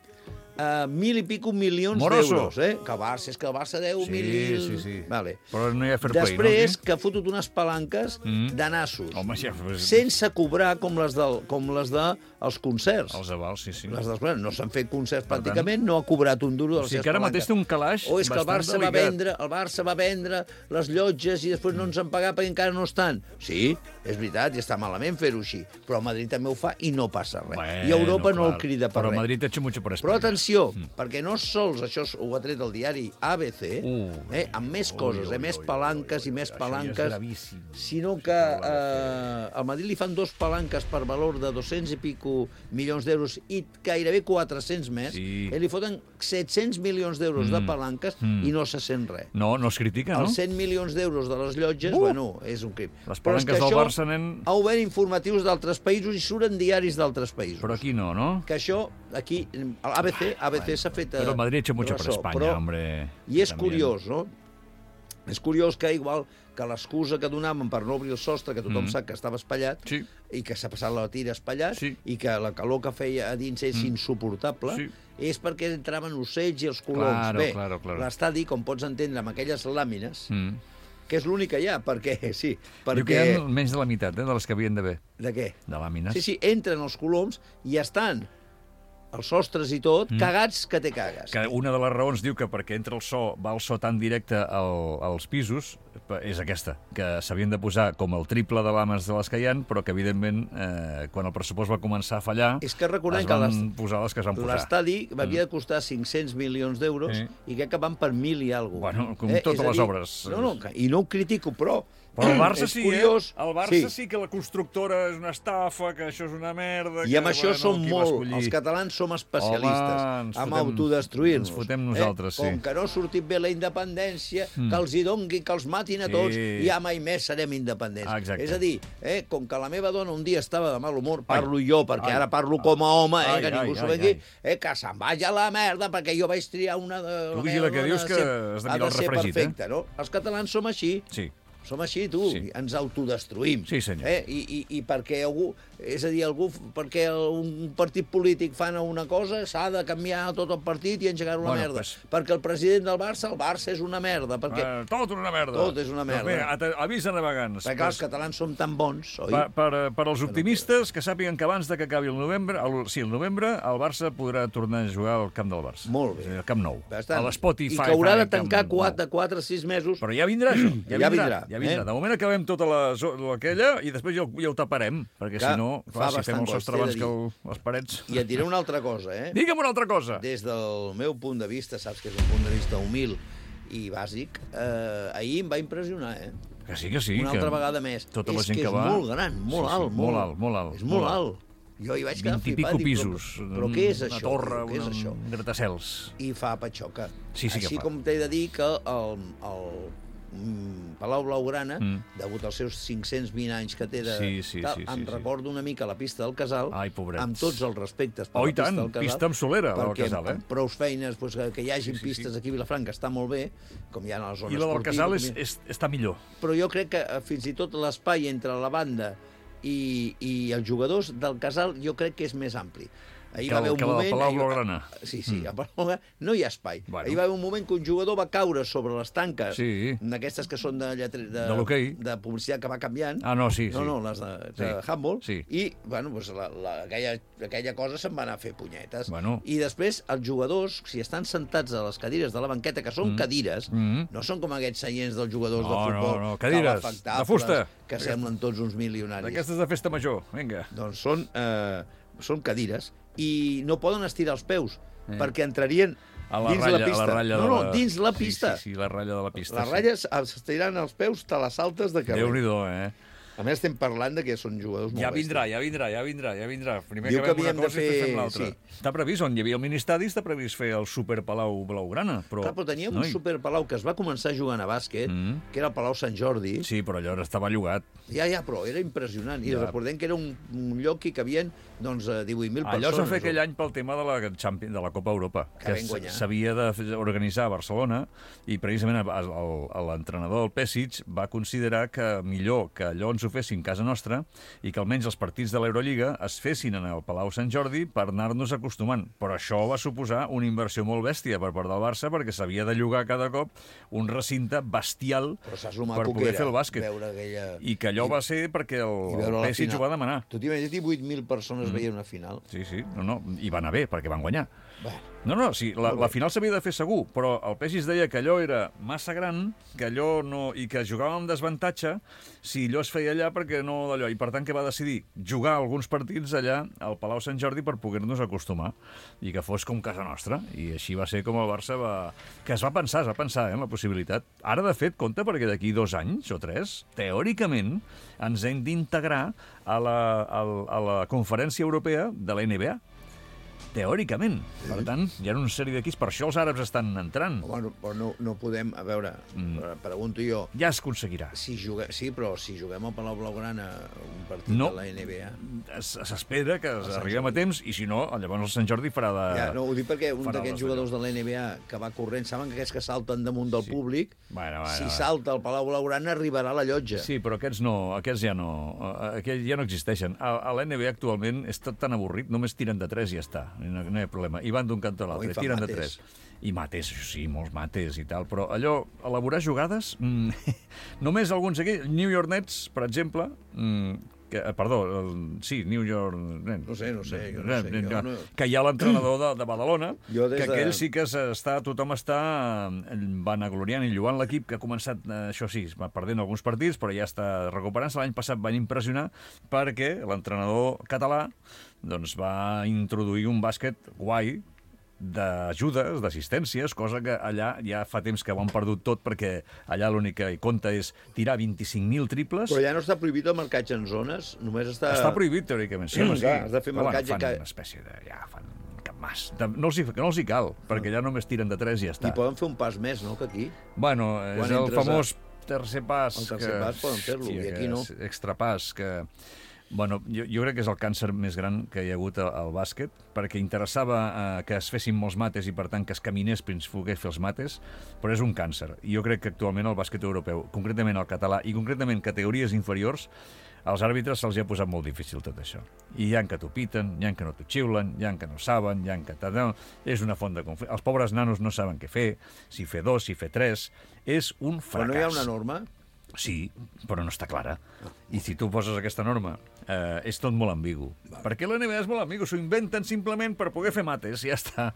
Uh, mil i pico milions Moroso. d'euros, eh? Que el Barça, és que el Barça deu Sí, mil... sí, sí. Vale. Però no hi ha fair play, Després, no? que ha fotut unes palanques Mm. de nassos, Home, ja... Pues, sense cobrar com les, del, com les de els concerts. Els avals, sí, sí. Les dels, bueno, no s'han fet concerts Per pràcticament, no ha cobrat un duro de O les sigui seves que ara palanques. mateix té un calaix O és que el bastant Barça, va delicat. vendre, el Barça va vendre les llotges i després no ens han pagat perquè encara no estan. Sí, és veritat, i està malament fer-ho així. Però el Madrid també ho fa i no passa res. Bueno, I Europa no clar. el crida per Però res. Madrid ha hecho mucho por España. Però atenció, mm. perquè no sols això ho ha tret el diari A B C, Uh. eh, amb més coses, Ui, eh, ui, més ui, palanques ui, ui, i més això ja és palanques, gravíssim. sinó que eh, al Madrid li fan dos palanques per valor de dos-cents i pico milions d'euros i gairebé quatre-cents més, Sí. eh, li foten set-cents milions d'euros Mm. de palanques Mm. i no se sent res. No, no es critica, no? Els cent milions d'euros de les llotges, Uh! bueno, és un crim. Les Però és palanques que del això Barça, nen... ha obert informatius d'altres països i surten diaris d'altres països. Però aquí no, no? Que això, aquí, l'A B C, A B C s'ha fet... Pero Madrid ha hecho mucho por ressò, España, però- hombre. I és También. curiós, no? És curiós que, igual que l'excusa que donaven per no obrir el sostre, que tothom Mm. sap que estava espatllat, Sí. i que s'ha passat la tira espatllat, Sí. i que la calor que feia a dins és Mm. insuportable, Sí. és perquè entraven ocells i els coloms. Claro, Bé, claro, claro. l'estadi, com pots entendre, amb aquelles làmines, Mm. que és l'únic que hi ha, perquè, sí, Diu que hi perquè... ha menys de la meitat, eh, de les que havien d'haver, De què? de làmines. Sí, sí, entren els coloms i estan els sostres i tot, Mm. cagats que te cagues. Que una de les raons diu que perquè entra el so, va el so tan directe al, als pisos, és aquesta, que s'havien de posar com el triple de làmines de les que hi ha, però que, evidentment, eh, quan el pressupost va començar a fallar, És que recordem es que van l'est- posar les que es van posar. l'estadi havia de costar cinc-cents milions d'euros Sí. i crec que van per mil i alguna cosa. Bueno, com És totes a les dir, obres. No, no, que- i no ho critico, però... Però el Barça és sí, curiós. eh? El Barça sí. sí que la constructora és una estafa, que això és una merda... I amb que, això bueno, som qui va molt... escollir? Els catalans som especialistes Home, ens en fotem- autodestruir-nos. ens fotem nosaltres, sí. Com que no ha sortit bé la independència, Mm. que els hi dongui, que els matin a tots, Sí. i ja mai més serem independents. Ah, exacte. És a dir, eh, com que la meva dona un dia estava de mal humor, parlo jo, perquè ai, ara parlo com a home, eh, ai, que ningú ai, s'ho ai, vengui, ai. eh, que se'n vagi a la merda, perquè jo vaig triar una... De, Tu la vigila meva que dona dius que sempre has de ha mirar el ser refregit, perfecte, no? Els catalans som així. Sí. Som així, tu, Sí. sí. ens autodestruïm. Sí, senyor. Eh? I, i, I perquè algú, és a dir, algú, perquè un partit polític fan una cosa, s'ha de canviar tot el partit i engegar una Bueno, merda. pues- Perquè el president del Barça, el Barça és una merda, perquè, Eh, tot una merda. Tot és una merda. Doncs bé, ata- avisa navegants. perquè els catalans som tan bons, oi? Per, per, per als optimistes, que sàpiguen que abans de que acabi el novembre, el, sí, el novembre, el Barça podrà tornar a jugar al camp del Barça. Molt bé. Al Camp Nou. Bastant. A l'Spotify. I que haurà de Camp tancar Nou. quatre, quatre, sis mesos. Però ja vindrà, això. Ja, Ja vindrà. vindrà, Ja vindrà. eh? De moment acabem tota la, zo- aquella i després ja, ho- ja ho taparem, perquè Que si no, fa clar, si fem bastant el sostre costa, he abans de que el, les parets... I et diré una altra cosa, eh? Digue'm una altra cosa. Des del meu punt de vista, saps que és un punt de vista humil i bàsic, eh, ahir em va impressionar, eh? Que sí, que sí. Una que altra vegada més. Tota la és gent que que és va... molt gran, molt Sí, sí, alt. molt alt, molt alt, És molt, molt alt. Jo hi vaig quedar vint i flipat. pico dic, pisos. Però, però què és una això? torre, Què és un, això? un gratacels. I fa patxoca. Sí, sí que Així fa. com t'he de dir que el, el mm, Palau Blaugrana, Mm. degut als seus cinc-cents vint anys que té de... Sí, sí, tal, sí, sí, em sí. recordo una mica la pista del Casal, Ai, pobrets. amb tots els respectes per Oh, la i tant, pista del Casal. pista amb solera, la del perquè Casal, eh? amb prous feines, doncs, que, que hi hagin Sí, sí, pistes sí. aquí a Vilafranca està molt bé, com hi ha a la zona I la del esportiva, casal és, com hi ha- és, està millor. però jo crec que eh, fins i tot l'espai entre la banda i, i els jugadors del Casal jo crec que és més ampli. Ahir Que va el- haver un que la del moment... Palau ahir- Blaugrana. Sí, sí, Mm. a Palau Blaugrana no hi ha espai. Bueno. Ahir va haver un moment que un jugador va caure sobre les tanques, Sí. d'aquestes que són de, lletre, de, De l'hoquei. de publicitat que va canviant, Ah, no, sí, sí. no, no, les de, de Sí. handball, Sí. i bueno, doncs la, la, aquella, aquella cosa se'n va anar a fer punyetes. Bueno. I després els jugadors, si estan sentats a les cadires de la banqueta, que són Mm. cadires, Mm. no són com aquests seients dels jugadors No, de futbol, no, no, cadires, calefactables, de fusta. que semblen tots uns milionaris. D'aquestes de festa major, vinga. Doncs són, eh, són cadires i no poden estirar els peus, Eh. perquè entrarien A la dins ratlla, la pista. A la ratlla no, de no, la... dins la Sí, pista. Sí, sí, la ratlla de la pista. Les ratlles s'estiraran els peus, te les saltes de carrer. Déu-n'hi-do, eh? A més, estem parlant de que són jugadors molt Ja vindrà, bèsties. ja vindrà, ja vindrà, ja vindrà. Primer Diu que acabem una havíem de cosa i després fer- fem l'altra. sí. Està previst, on hi havia el ministadi, està previst fer el Super Palau Blaugrana, però... Clar, però teníem Noi. un superpalau que es va començar jugant a bàsquet, Mm. que era el Palau Sant Jordi. Sí, però allò estava llogat. Ja, ja, però era impressionant. I Ja. recordem que era un, un lloc que hi cabien doncs, eh, divuit mil persones. Allò es va fer aquell any pel tema de la, Champions, de la Copa Europa, Que que vam guanyar. s'havia d'organitzar a Barcelona, i precisament el- el- l'entrenador del Pesic va considerar que millor que allò on s'ho fessin a casa nostra i que almenys els partits de l'Eurolliga es fessin en el Palau Sant Jordi per anar-nos acostumant. Però això va suposar una inversió molt bèstia per part del Barça perquè s'havia de llogar cada cop un recinte bestial Però saps lo per maco poder que fer era el bàsquet. veure aquella... I que allò va ser perquè el, I el veure la P S G final. ho va demanar. Tu t'imagines divuit mil persones mm. veient una final? Sí, sí, no, no, i va anar bé perquè van guanyar. Bueno. No, no, sí, la, la final s'havia de fer segur, però el P S G es deia que allò era massa gran, que allò no... i que jugàvem amb desavantatge si allò es feia allà perquè no d'allò. I per tant que va decidir jugar alguns partits allà al Palau Sant Jordi per poder-nos acostumar i que fos com casa nostra. I així va ser com el Barça va... que es va pensar, es va pensar eh, en la possibilitat. Ara, de fet, compte perquè d'aquí dos anys o tres, teòricament, ens hem d'integrar a la, a, a la Conferència Europea de la N B A. Teòricament. Sí. Per tant, hi ha una sèrie d'equips. Per això els àrabs estan entrant. Home, però no, no podem... A veure, mm. pregunto jo... Ja es aconseguirà. Si juguem, sí, però si juguem al Palau Blaugrana un partit no. de la N B A... S'espera que arribem a temps i, si no, llavors el Sant Jordi farà de... Ja, no, ho dic perquè un d'aquests jugadors de la N B A que va corrent, saben que aquests que salten damunt del sí. públic, bueno, bueno, si bueno. salta al Palau Blaugrana arribarà a la llotja. Sí, però aquests no, aquests ja no, aquests ja no existeixen. A, a la N B A actualment és tot tan avorrit, només tiren de tres i ja està, no, no hi ha problema. I van d'un cantó a l'altre, oh, tiren mates. de tres. I mates, això sí, molts mates i tal, però allò, elaborar jugades, mm, només alguns aquí, New York Nets, per exemple, mm, que, perdó, el, sí, New York... No sé, no sé, jo no sé. Jo no... Que hi ha l'entrenador de, de Badalona, que que aquell de... sí que està, tothom està vanagloriant i lloant l'equip, que ha començat, això sí, va perdent alguns partits, però ja està recuperant-se. L'any passat van impressionar perquè l'entrenador català doncs, va introduir un bàsquet guai, d'ajudes, d'assistències, cosa que allà ja fa temps que ho han perdut tot perquè allà l'únic que compta és tirar vint-i-cinc mil triples. Però ja no està prohibit el marcatge en zones? Només està... Està prohibit, teòricament. Sí, home, sí. Clar, has de fer marcatge... Bueno, fan que... una espècie de... Ja, fan cap mas. No els hi, no els hi cal, perquè ja només tiren de tres i ja està. I poden fer un pas més, no?, que aquí. Bueno, és Quan el famós a... tercer pas. El tercer que... pas poden fer-lo, sí, i aquí no. Extrapàs, que... Bueno, jo, jo crec que és el càncer més gran que hi ha hagut al, al bàsquet, perquè interessava eh, que es fessin molts mates i, per tant, que es caminés fins poder fer els mates, però és un càncer. I jo crec que actualment el bàsquet europeu, concretament el català i concretament categories inferiors, als àrbitres se'ls ha posat molt difícil tot això. I hi ha que t'ho piten, hi ha que no t'ho xiulen, hi ha que no saben, hi ha que... No, és una font de conflicte. Els pobres nanos no saben què fer, si fer dos, si fer tres... És un fracàs. Però no hi ha una norma? Sí, però no està clara. I si tu poses aquesta norma, eh, és tot molt ambigu. Vale. Perquè l'N B A és molt ambigu, s'ho inventen simplement per poder fer mates, i ja està.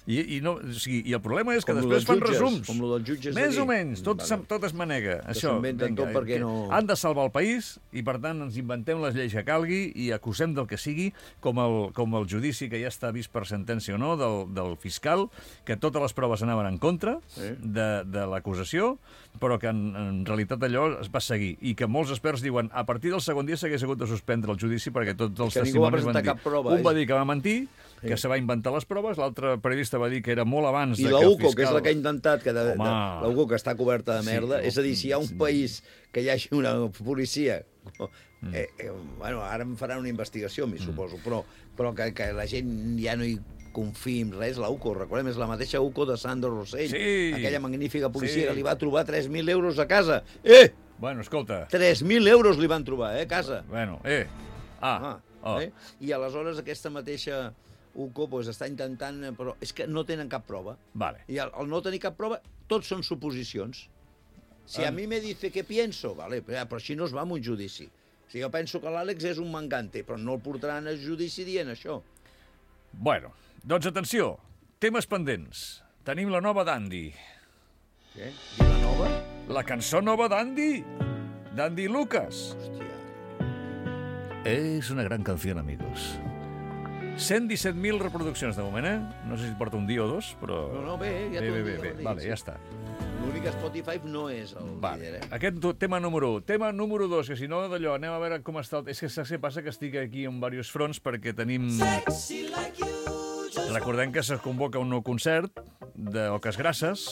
I, i, no, o sigui, i el problema és que com després fan jutges, resums. Com el dels jutges Més d'aquí. o menys, tot, vale. tot es manega. Que Això, s'inventen vinga, tot perquè no... Han de salvar el país i, per tant, ens inventem les lleis que calgui i acusem del que sigui, com el, com el judici que ja està vist per sentència o no, del, del fiscal, que totes les proves anaven en contra sí. de, de l'acusació, però que en, en realitat allò es va seguir. I que molts experts diuen a partir del segon dia s'hagués hagut de suspendre el judici perquè tots els que testimonis van dir. Prova, un és... va dir que va mentir, sí. que se va inventar les proves, l'altre periodista va dir que era molt abans I de la que el U C O, fiscal... que és la que ha intentat, que de, Home... de, la U C O que està coberta de merda, sí, és a dir, si hi ha un país que hi hagi una policia... Mm. Eh, eh, bueno, ara em faran una investigació, m'hi mm. suposo, però, però que, que la gent ja no hi confiï en res, la U C O, recordem, és la mateixa U C O de Sandro Rossell, sí. aquella magnífica policia sí. que li va trobar tres mil euros a casa. Eh! Bueno, escolta... tres mil euros li van trobar, eh, a casa. Bueno, eh... Ah, ah oh. eh? I aleshores aquesta mateixa U C O pues, està intentant... Però és que no tenen cap prova. Vale. I al, al no tenir cap prova, tots són suposicions. Si a mi me dice què pienso, vale, però així no es va amb un judici. Si jo penso que l'Àlex és un mangante, però no el portaran al judici dient això. Bueno, doncs atenció, temes pendents. Tenim la nova d'Andy. Què? I la nova? La cançó nova d'Andy. D'Andy Lucas. Hòstia. És una gran canció, amigos. cent disset mil reproduccions de moment, eh? No sé si porta un dia o dos, però... No, no, bé, ja bé, tot bé, bé, el bé. dia Vale, ja està. L'únic Spotify no és el Vale. líder, eh? Aquest tema número un. Tema número dos, que si no, d'allò, anem a veure com està... El... És que saps què passa? Que estic aquí en diversos fronts perquè tenim... Recordem que se convoca un nou concert d'Oques Grasses,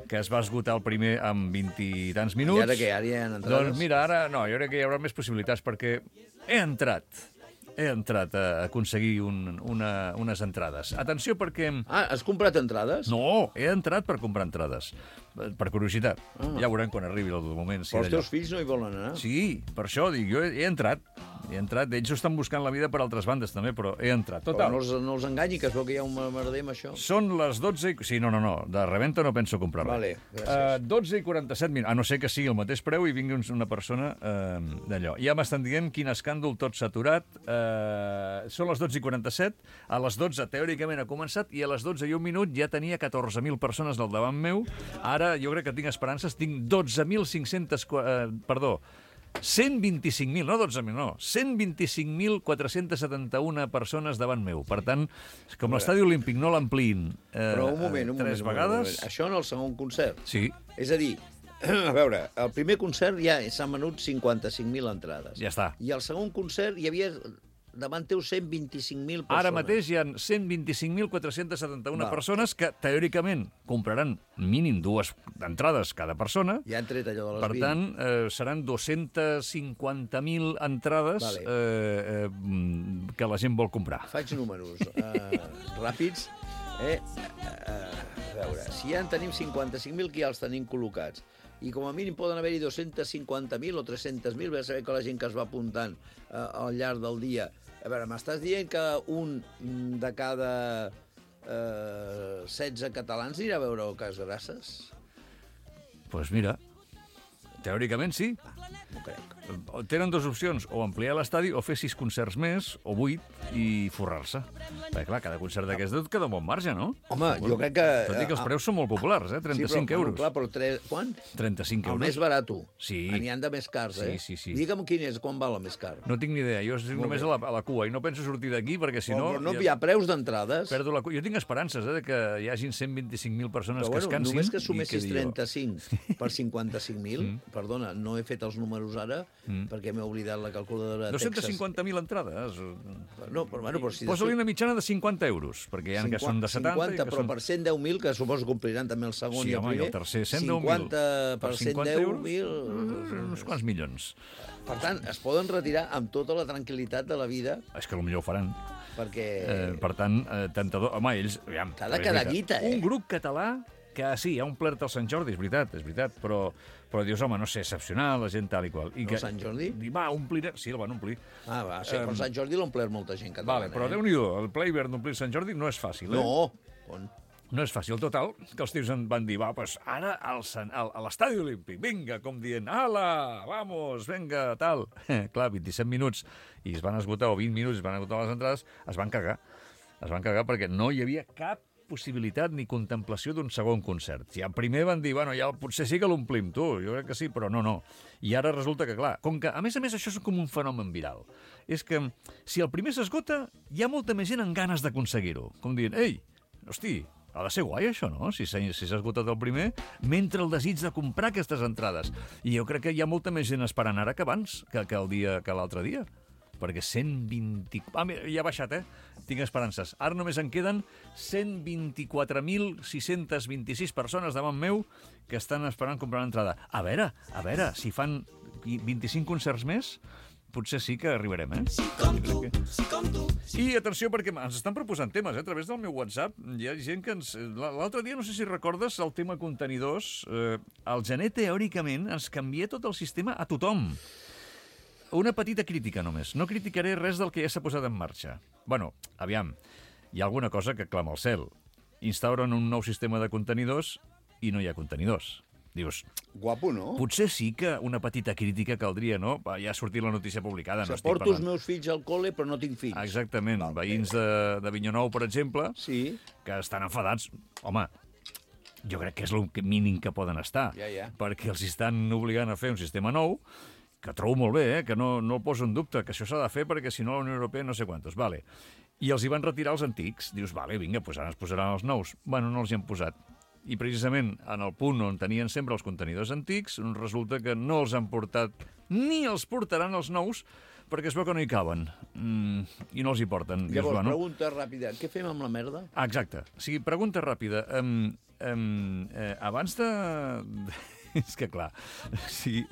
que es va esgotar el primer en vint i tants minuts. I ara què? Ara hi ha entrades? Doncs mira, ara no, jo crec que hi haurà més possibilitats, perquè he entrat he entrat a aconseguir un, una, unes entrades. Atenció perquè... Ah, has comprat entrades? No, he entrat per comprar entrades. Per curiositat. Ah. Ja veurem quan arribi el moment. Si Però els d'allò. teus fills no hi volen anar? Sí, per això dic, jo he, he entrat. He entrat. Ells estan buscant la vida per altres bandes també, però he entrat. Però Total. no els, no els enganyi, que es veu que hi ha un merder amb això. Són les dotze i... Sí, no, no, no. De rebenta no penso comprar res. Vale, gràcies. Uh, dotze i quaranta-set minuts. A no ser que sigui el mateix preu i vingui una persona uh, d'allò. Ja m'estan dient quin escàndol, tot s'ha aturat. Uh, són les dotze i quaranta-set. A les dotze, teòricament, ha començat i a les dotze i un minut ja tenia catorze mil persones al davant meu. Ara jo crec que tinc esperances. Tinc dotze mil cinc-cents... Uh, perdó, cent vint-i-cinc mil, no dotze mil, no, cent vint-i-cinc mil quatre-cents setanta-un persones davant meu. Per tant, com l'estadi olímpic no l'ampliïn eh, Però un moment, un moment. tres un moment, vegades... un moment. Això en el segon concert. Sí, És a dir, a veure, el primer concert ja s'han venut cinquanta-cinc mil entrades. ja està. I al segon concert hi havia davant teu cent vint-i-cinc mil persones. Ara mateix hi ha cent vint-i-cinc mil quatre-cents setanta-un Val. persones que, teòricament, compraran mínim dues entrades cada persona. Ja han tret allò de les Per vint. tant, eh, seran dos-cents cinquanta mil entrades Vale. eh, eh, que la gent vol comprar. Faig números uh, ràpids. Eh? Uh, a veure, si ja en tenim cinquanta-cinc mil, que ja els tenim col·locats, i com a mínim poden haver-hi dos-cents cinquanta mil o tres-cents mil, ve a saber que la gent que es va apuntant uh, al llarg del dia... A veure, m'estàs dient que un de cada uh, setze catalans anirà a veure el Cas Grasses? Doncs pues mira, teòricament sí. No crec. Tenen dues opcions, o ampliar l'estadi o fer sis concerts més, o vuit, i forrar-se. Perquè, clar, cada concert d'aquest et queda un bon marge, no? Home, jo crec que... Tot i que els preus són molt populars, eh? trenta-cinc sí, però, euros. Clar, però tres... Quan? trenta-cinc El euros. més barat. Sí. N'hi han de més cars, eh? Sí, sí, sí. Digue'm quin és, quan val el més car. No tinc ni idea, jo estic només a la, a la cua i no penso sortir d'aquí perquè si no... Però no hi ha preus d'entrades. Perdo la cua. Jo tinc esperances eh, de que hi hagin cent vint-i-cinc mil persones Però que bueno, es cansin. només que i sumessis quedi jo. trenta-cinc per cinquanta-cinc mil, perdona, no he fet els números ara perquè m'he oblidat la calculadora de dos-cents Texas. cinquanta mil entrades. No, però, bueno, però si Posa-li una mitjana de cinquanta euros, perquè hi ha que són de setanta... cinquanta, i que però són... per cent deu mil, que suposo que compliran també el segon Sí, i el home, i primer. el tercer, cent deu mil. cinquanta per cent cinquanta deu euros, mil... uns quants milions. Per tant, es poden retirar amb tota la tranquil·litat de la vida És que potser ho faran. perquè... Eh, per tant, eh, tentador... Home, ells... Aviam, T'ha de és quedar veritat. guita, eh? Un grup català que sí, ha omplert el Sant Jordi, és veritat, és veritat, però, però dius, home, no sé, excepcional, la gent tal i qual. I El Sant Jordi? I va, omplir... Sí, el van omplir. Ah, va, sí, però Em, Sant Jordi l'ha omplert molta gent catalana. Vale, però eh? Déu-n'hi-do, el ple hivern d'omplir Sant Jordi no és fàcil, eh? No, on? No és fàcil. Total, que els tios en van dir, va, pues ara al, Sant- al, a l'estadi olímpic, vinga, com dient, ala, vamos, vinga, tal. Clar, vint-i-set minuts, i es van esgotar, o vint minuts, es van esgotar les entrades, es van cagar. Es van cagar perquè no hi havia cap possibilitat ni contemplació d'un segon concert. Si al primer van dir, bueno, ja potser sí que l'omplim, tu, jo crec que sí, però no, no. I ara resulta que, clar, com que, a més a més, això és com un fenomen viral. És que, si el primer s'esgota, hi ha molta més gent amb ganes d'aconseguir-ho. Com dient, ei, hosti, ha de ser guai, això, no? Si s'ha si s'ha esgotat el primer, mentre el desig de comprar aquestes entrades. I jo crec que hi ha molta més gent esperant ara que abans, que, que el dia que l'altre dia. Perquè cent vint... Ah, mira, ja ha baixat, eh? Tinc esperances. Ara només en queden cent vint-i-quatre mil sis-cents vint-i-sis persones davant meu que estan esperant comprar l'entrada. A veure, a veure, si fan vint-i-cinc concerts més, potser sí que arribarem, eh? Sí, com tu, sí, com tu. I atenció, perquè ens estan proposant temes, eh? A través del meu WhatsApp. Hi ha gent que ens... L'altre dia, no sé si recordes, el tema contenidors. Eh, el gener, teòricament, ens canvia tot el sistema a tothom. Una petita crítica, només. No criticaré res del que ja s'ha posat en marxa. Bueno, aviam, hi ha alguna cosa que clama al cel. Instauren un nou sistema de contenidors i no hi ha contenidors. Dius, Guapo, no? potser sí que una petita crítica caldria, no? Va, ja ha sortit la notícia publicada. O No sigui, estic porto els parlant. meus fills al col·le, però no tinc fills. Exactament. Val, Veïns de, de Vinyonou, per exemple, Sí, que estan enfadats. Home, jo crec que és el mínim que poden estar. Ja, ja. Perquè els estan obligant a fer un sistema nou, que trobo molt bé, eh? Que no, no el poso en dubte, que això s'ha de fer perquè si no la Unió Europea no sé quantos. Vale. I els hi van retirar els antics. Dius, vale, vinga, doncs ara es posaran els nous. Bueno, no els hi han posat. I precisament en el punt on tenien sempre els contenidors antics, resulta que no els han portat, ni els portaran els nous, perquè es veu que no hi caben. Mm, I no els hi porten. Dius, llavors, bueno, pregunta ràpida. Què fem amb la merda? Ah, exacte. O sigui, pregunta ràpida. Um, um, eh, abans de... És que, clar, sí.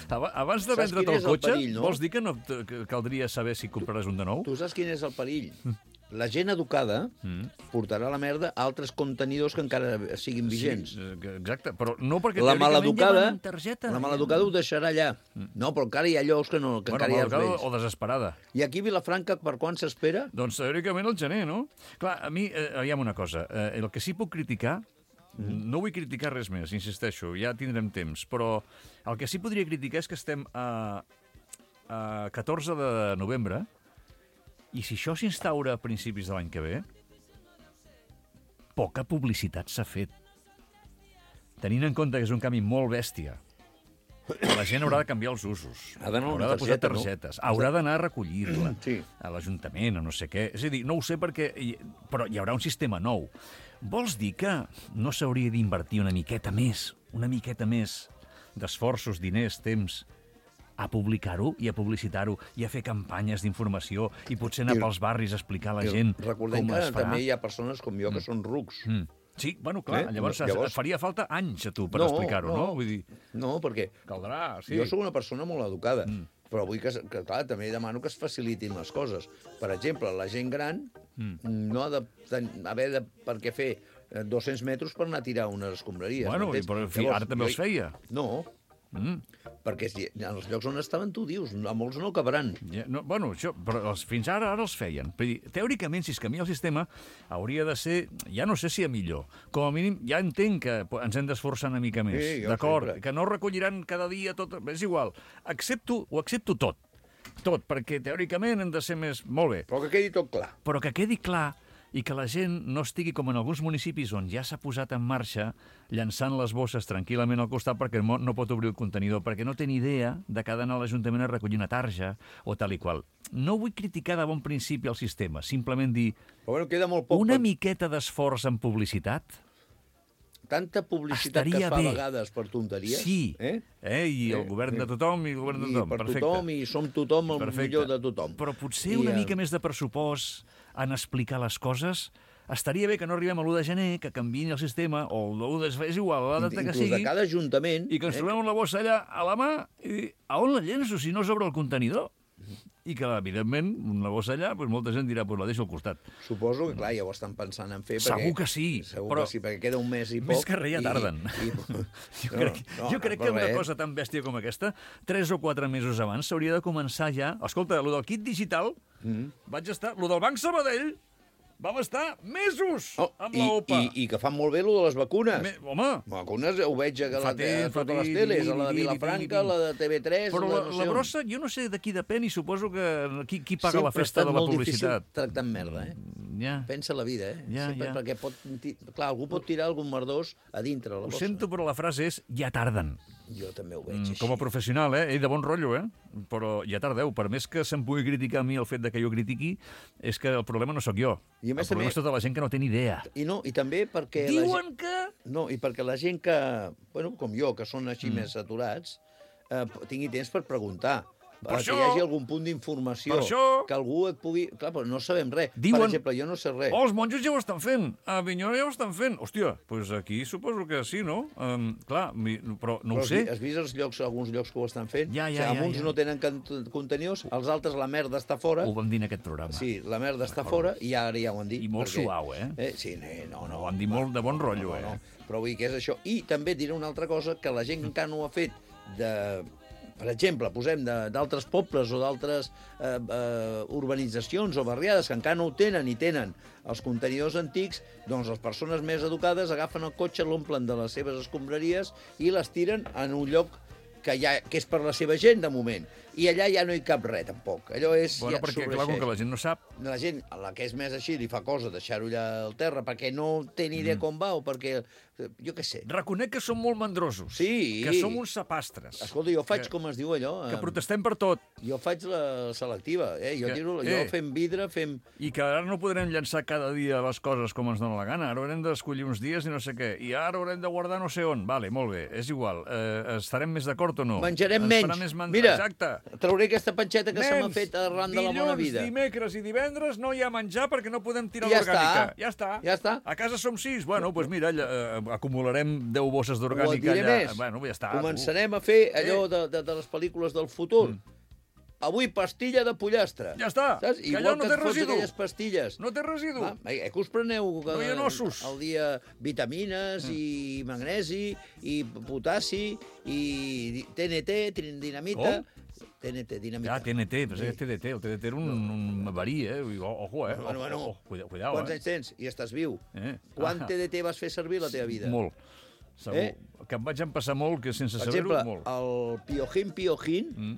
Abans de Saps vendre't quin el és el cotxe, perill, no? vols dir que no que caldria saber si compraràs un de nou? Tu saps quin és el perill? La gent educada Mm. portarà a la merda altres contenidors que encara siguin vigents. Sí, eh, exacte, però no perquè La teòricament maleducada, ja van amb targeta. la maleducada ho deixarà allà. No, però encara hi ha llocs que, no, que Bueno, encara hi ha els maleducada vells. o desesperada. I aquí a Vilafranca, per quan s'espera? Doncs teòricament el gener, no? Clar, a mi, eh, aviam una cosa, eh, el que sí puc criticar, mm. no vull criticar res més, insisteixo, ja tindrem temps, però el que sí podria criticar és que estem a, a catorze de novembre, i si això s'instaura a principis de l'any que ve, poca publicitat s'ha fet. Tenint en compte que és un canvi molt bèstia, la gent haurà de canviar els usos, Ha d'anar haurà una de posar targeta, no? targetes, haurà d'anar a recollir-la Sí. a l'Ajuntament o no sé què. És a dir, no ho sé perquè... hi- Però hi haurà un sistema nou. Vols dir que no s'hauria d'invertir una miqueta més, una miqueta més d'esforços, diners, temps, a publicar-ho i a publicitar-ho i a fer campanyes d'informació i potser anar I- pels barris a explicar a la I gent Recordem com que es farà? també hi ha persones com jo que són rucs. Mm. Sí, bueno, clar, Eh? llavors, Llavors- faria falta anys a tu per explicar-ho, no? Vull dir, No, perquè caldrà, sí. jo sóc una persona molt educada, mm. però vull que, que, clar, també demano que es facilitin les coses. Per exemple, la gent gran mm. no ha de ten, haver de, per què fer eh, dos-cents metres per anar a tirar unes escombraries. Bueno, i, m'entens? però, en fi, Llavors, ara també jo- els feia. No, Mm. perquè si, en els llocs on estaven tu dius, a molts no cabran. Ja, no, bueno, això, però els, fins ara ara els feien. Vull dir, teòricament, si es canvia el sistema, hauria de ser, ja no sé si a millor, com a mínim ja entenc que po- ens hem d'esforçar una mica més, Sí, jo d'acord? sempre. Que no recolliran cada dia tot, és igual. Accepto, ho accepto tot, tot, perquè teòricament hem de ser més... Molt bé, Però que quedi tot clar. però que quedi clar i que la gent no estigui com en alguns municipis on ja s'ha posat en marxa llançant les bosses tranquil·lament al costat perquè no no pot obrir el contenidor, perquè no té ni idea de que ha d'anar a l'Ajuntament a recollir una tarja o tal i qual. No vull criticar de bon principi el sistema, simplement dir Però bueno, queda molt poc. una per- miqueta d'esforç en publicitat. Tanta publicitat que estaria es fa bé. a vegades per tonteries. Sí, Eh? eh? i el Eh, govern de eh. tothom i el govern de I tothom. per Perfecte. tothom, i som tothom el Perfecte. millor de tothom. Però potser I, una eh, mica més de pressupost en explicar les coses. Estaria bé que no arribem a l'u de gener, que canviïn el sistema, o l'u de... és igual, la data que Inclús sigui, de cada ajuntament... i que ens eh, trobem amb la bossa allà a la mà, i a on la llenço si no s'obre el contenidor? I que, evidentment, una bossa allà, doncs molta gent dirà, doncs la deixo al costat. Suposo que, clar, ja ho estan pensant en fer. Segur perquè, que sí, Segur però que sí, perquè queda un mes i poc. més que res ja i- tarden. I, Jo crec, jo crec que una cosa tan bèstia com aquesta, tres o quatre mesos abans, s'hauria de començar ja... Escolta, lo del kit digital, Mm. vaig estar... Lo del Banc Sabadell, vam estar mesos Oh, amb i, l'OPA. i, I que fan molt bé lo de les vacunes. Me, home, Vacunes ho veig a, la, Fa a temps, fa totes les temps, teles, a la de di, di, di, Vilafranca, di, di. la de T V tres... però la, no sé la on. brossa, jo no sé de qui depèn i suposo que qui, qui paga Sempre la festa ha estat de la molt publicitat. difícil tractar amb merda, eh? Ja. Pensa la vida, eh? Ja, Sempre, ja. Perquè pot... ti- Clar, algú pot tirar algun merdós a dintre la Ho bossa. sento, però la frase és ja tarden. Jo també ho veig Mm, així. Com a professional, eh? Ell de bon rotllo, eh? Però ja tardeu. Per més que se'm pugui criticar a mi el fet de que jo critiqui, és que el problema no sóc jo. I a més el problema també- és tota la gent que no té ni idea. I no, i també perquè... la gent... Diuen que... No, i perquè la gent que, bueno, com jo, que són així Mm. més saturats, eh, tingui temps per preguntar. Per eh, això- que hi hagi algun punt d'informació. Per això- Que algú et pugui... Clar, però no sabem res. Diuen- Per exemple, jo no sé res. Oh, els monjos ja ho estan fent. A Avinyó ja ho estan fent. Hòstia, doncs aquí suposo que sí, no? Um, clar, mi, però no Però ho sé. Has vist els llocs, alguns llocs que ho estan fent? Ja, ja, o sigui, ja, uns ja. no tenen can- contenidors, els altres la merda està fora. Ho vam dir en aquest programa. Sí, la merda està fora i ara ja ho han dit. I molt suau, eh? eh? Sí, no, no. Ho han dit molt de bon rotllo, no, eh? no. Però vull dir que és això. I també diré una altra cosa, que la gent que encara no ho ha fet de... Per exemple, posem de- d'altres pobles o d'altres eh, eh, urbanitzacions o barriades que encara no ho tenen i tenen els contenidors antics, doncs les persones més educades agafen el cotxe, l'omplen de les seves escombraries i les tiren en un lloc que, ja, que és per la seva gent, de moment. I allà ja no hi cap res, tampoc. Allò és... Bueno, ja perquè, clar, com que la gent no sap... la gent, a la que és més així, li fa cosa deixar-ho allà al terra perquè no té ni idea mm. com va o perquè, jo què sé. Reconec que som molt mandrosos. Sí. Que som uns sapastres. Escolta, jo faig, que, com es diu allò... Que eh, protestem per tot. Jo faig la selectiva, eh? Jo, Que- tiro, eh. jo fem vidre, fem... I que ara no podrem llançar cada dia les coses com ens dona la gana. Ara haurem d'escollir uns dies i no sé què. I ara haurem de guardar no sé on. Vale, molt bé, és igual. Eh, estarem més d'acord esport o no? Menjarem Ens menys. farà més men- Mira, Exacte. trauré aquesta panxeta que se m'ha Nens, fet arran de la bona vida. Dilluns, dimecres i divendres no hi ha menjar perquè no podem tirar Ja l'orgànica. està. Ja està. Ja està. A casa som sis. Bueno, doncs pues mira, eh, acumularem deu bosses O et d'orgànica diré allà. més. Bueno, ja està. Començarem a fer allò de, de, de les pel·lícules del futur. Mm. Avui pastilla de pollastre. Ja està, Saps? que Igual allò no que té et fots residu. aquelles pastilles. No té residu. Ah, eh, que us preneu No hi ha ossos. al dia vitamines mm. i magnesi i potassi i T N T, dinamita... T N T, dinamita. Ja, T N T, però és T D T. El T D T era un, un verí, eh? Ojo, eh? Bueno, bueno, Ojo, cuidao, cuidao, quants eh? anys tens? I estàs viu. Eh? Quant Ah. T D T vas fer servir a la teva vida? Molt. Segur. Eh? Que em vaig empassar molt, que sense Per saber-ho, exemple, molt. el Piojin Piojin, Mm.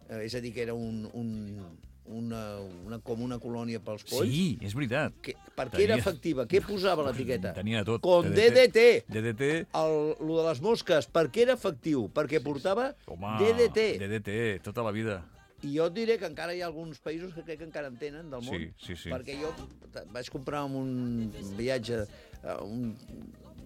eh, és a dir, que era un, un, una, una, com una colònia pels polls, Sí, és veritat. que, per què era Tenia- efectiva? Què posava a l'etiqueta? Tenia de tot. Con D D T. D D T. El, lo de les mosques, per què era efectiu? Perquè portava Home, D D T. D D T, tota la vida. I jo et diré que encara hi ha alguns països que crec que encara en tenen del món. Sí, sí, sí. Perquè jo vaig comprar en un viatge eh, un,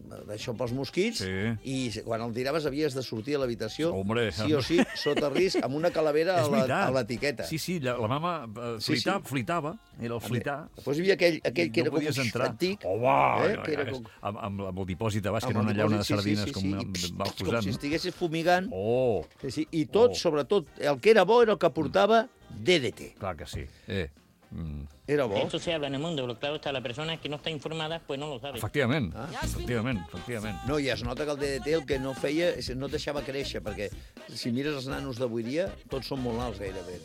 d'això pels mosquits Sí. i quan el tiraves havies de sortir a l'habitació Hombre, sí o sí, sota risc, amb una calavera a És la- veritat. a l'etiqueta. Sí, sí, la, la mama eh, Sí, flita, sí. flitava, era el flitar. Després hi havia aquell, aquell que no era com podies un entrar. antic, Oh, va, eh, que era com, amb, amb, amb el dipòsit de baix, que amb era una el llauna de dipòsit, sí, sardines, sí, sí, com sí, va i, pst, va com posant. si estiguessis fumigant. Oh, Sí, sí. I tot, Oh. sobretot, el que era bo era el que portava D D T. clar que sí. Eh, mm, Era bo. Eso se habla en el mundo, pero claro está, la persona que no está informada pues no lo sabe. efectivament, Ah. efectivament, efectivament. No, i es nota que el D D T el que no feia és no et deixava créixer, perquè si mires els nanos d'avui dia, tots són molt alts gairebé.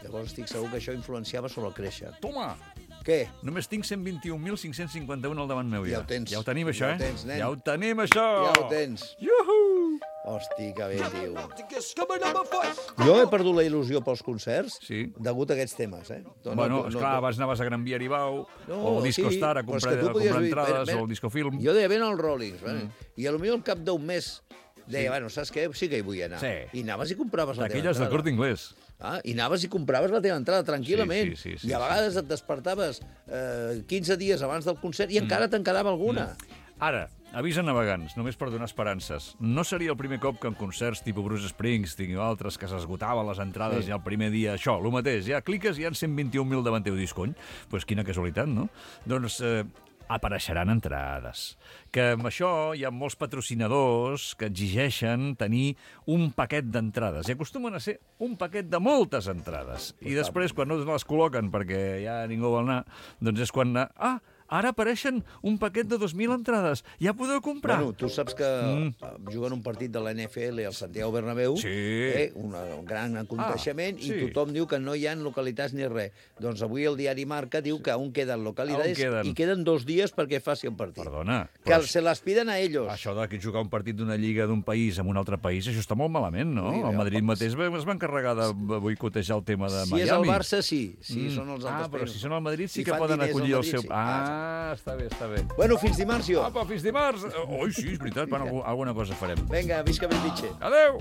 Llavors estic segur que això influenciava sobre el créixer. Toma! Què? Només tinc cent vint-i-un mil cinc-cents cinquanta-un al davant meu, ja. Ja ho tens. Ja ho tenim, això, Ja eh? ho tens, nen. Ja ho tenim, això! Ja ho tens. Iuhu! Hosti, que bé, tio. Jo he perdut la il·lusió pels concerts Sí. degut a aquests temes, eh? No, Bueno, no, esclar, no, abans anaves a Gran Via Aribau, no, o al Disco sí, Star a però és comprar, que tu a podies comprar dir, entrades, mira, o al Discofilm. Jo deia, ven als Rollings, mm. i a lo millor al cap d'un mes deia, bueno, saps què? Sí que hi vull anar. Sí. I anaves i compraves la teva D'aquelles del entrada. Corte Inglés. Ah, i anaves i compraves la teva entrada tranquil·lament. Sí, sí, sí, I a sí, vegades et despertaves eh, quinze dies abans del concert i encara te'n quedava alguna. Ara, avís a navegants, només per donar esperances. No seria el primer cop que en concerts tipus Bruce Springsteen o altres que s'esgotaven les entrades Sí. ja el primer dia, això, el mateix, ja cliques i hi ha cent vint-i-un mil davant teu disc, cony. Pues quina casualitat, no? Doncs eh, apareixeran entrades. Que amb això hi ha molts patrocinadors que exigeixen tenir un paquet d'entrades. I acostumen a ser un paquet de moltes entrades. I després, quan no les col·loquen perquè ja ningú vol anar, doncs és quan... Ah, ara apareixen un paquet de dos mil entrades. Ja podeu comprar. Bueno, tu saps que mm. juguen un partit de la N F L al Santiago Bernabéu, Sí. eh, un, un gran aconteixement, Ah, i sí. tothom diu que no hi ha localitats ni res. Doncs avui el diari Marca diu que aún queden localitats On queden? i queden dos dies perquè faci el partit. Perdona, Que però se les piden a ells. això de que jugar un partit d'una lliga d'un país amb un altre país, això està molt malament, no? Sí, El Madrid ja, mateix va- es va encarregar de boicotejar el tema de Si Miami. és el Barça, sí. Si Mm. són els Ah, altres però països. si són el Madrid sí Si que fan poden diners al acollir el Madrid, seu... sí. Ah, està bé, està bé. Bueno, fins dimarts, jo. Apa, fins dimarts. Oi, sí, és veritat, bueno, alguna cosa farem. Vinga, visca Bellvitge. Adeu!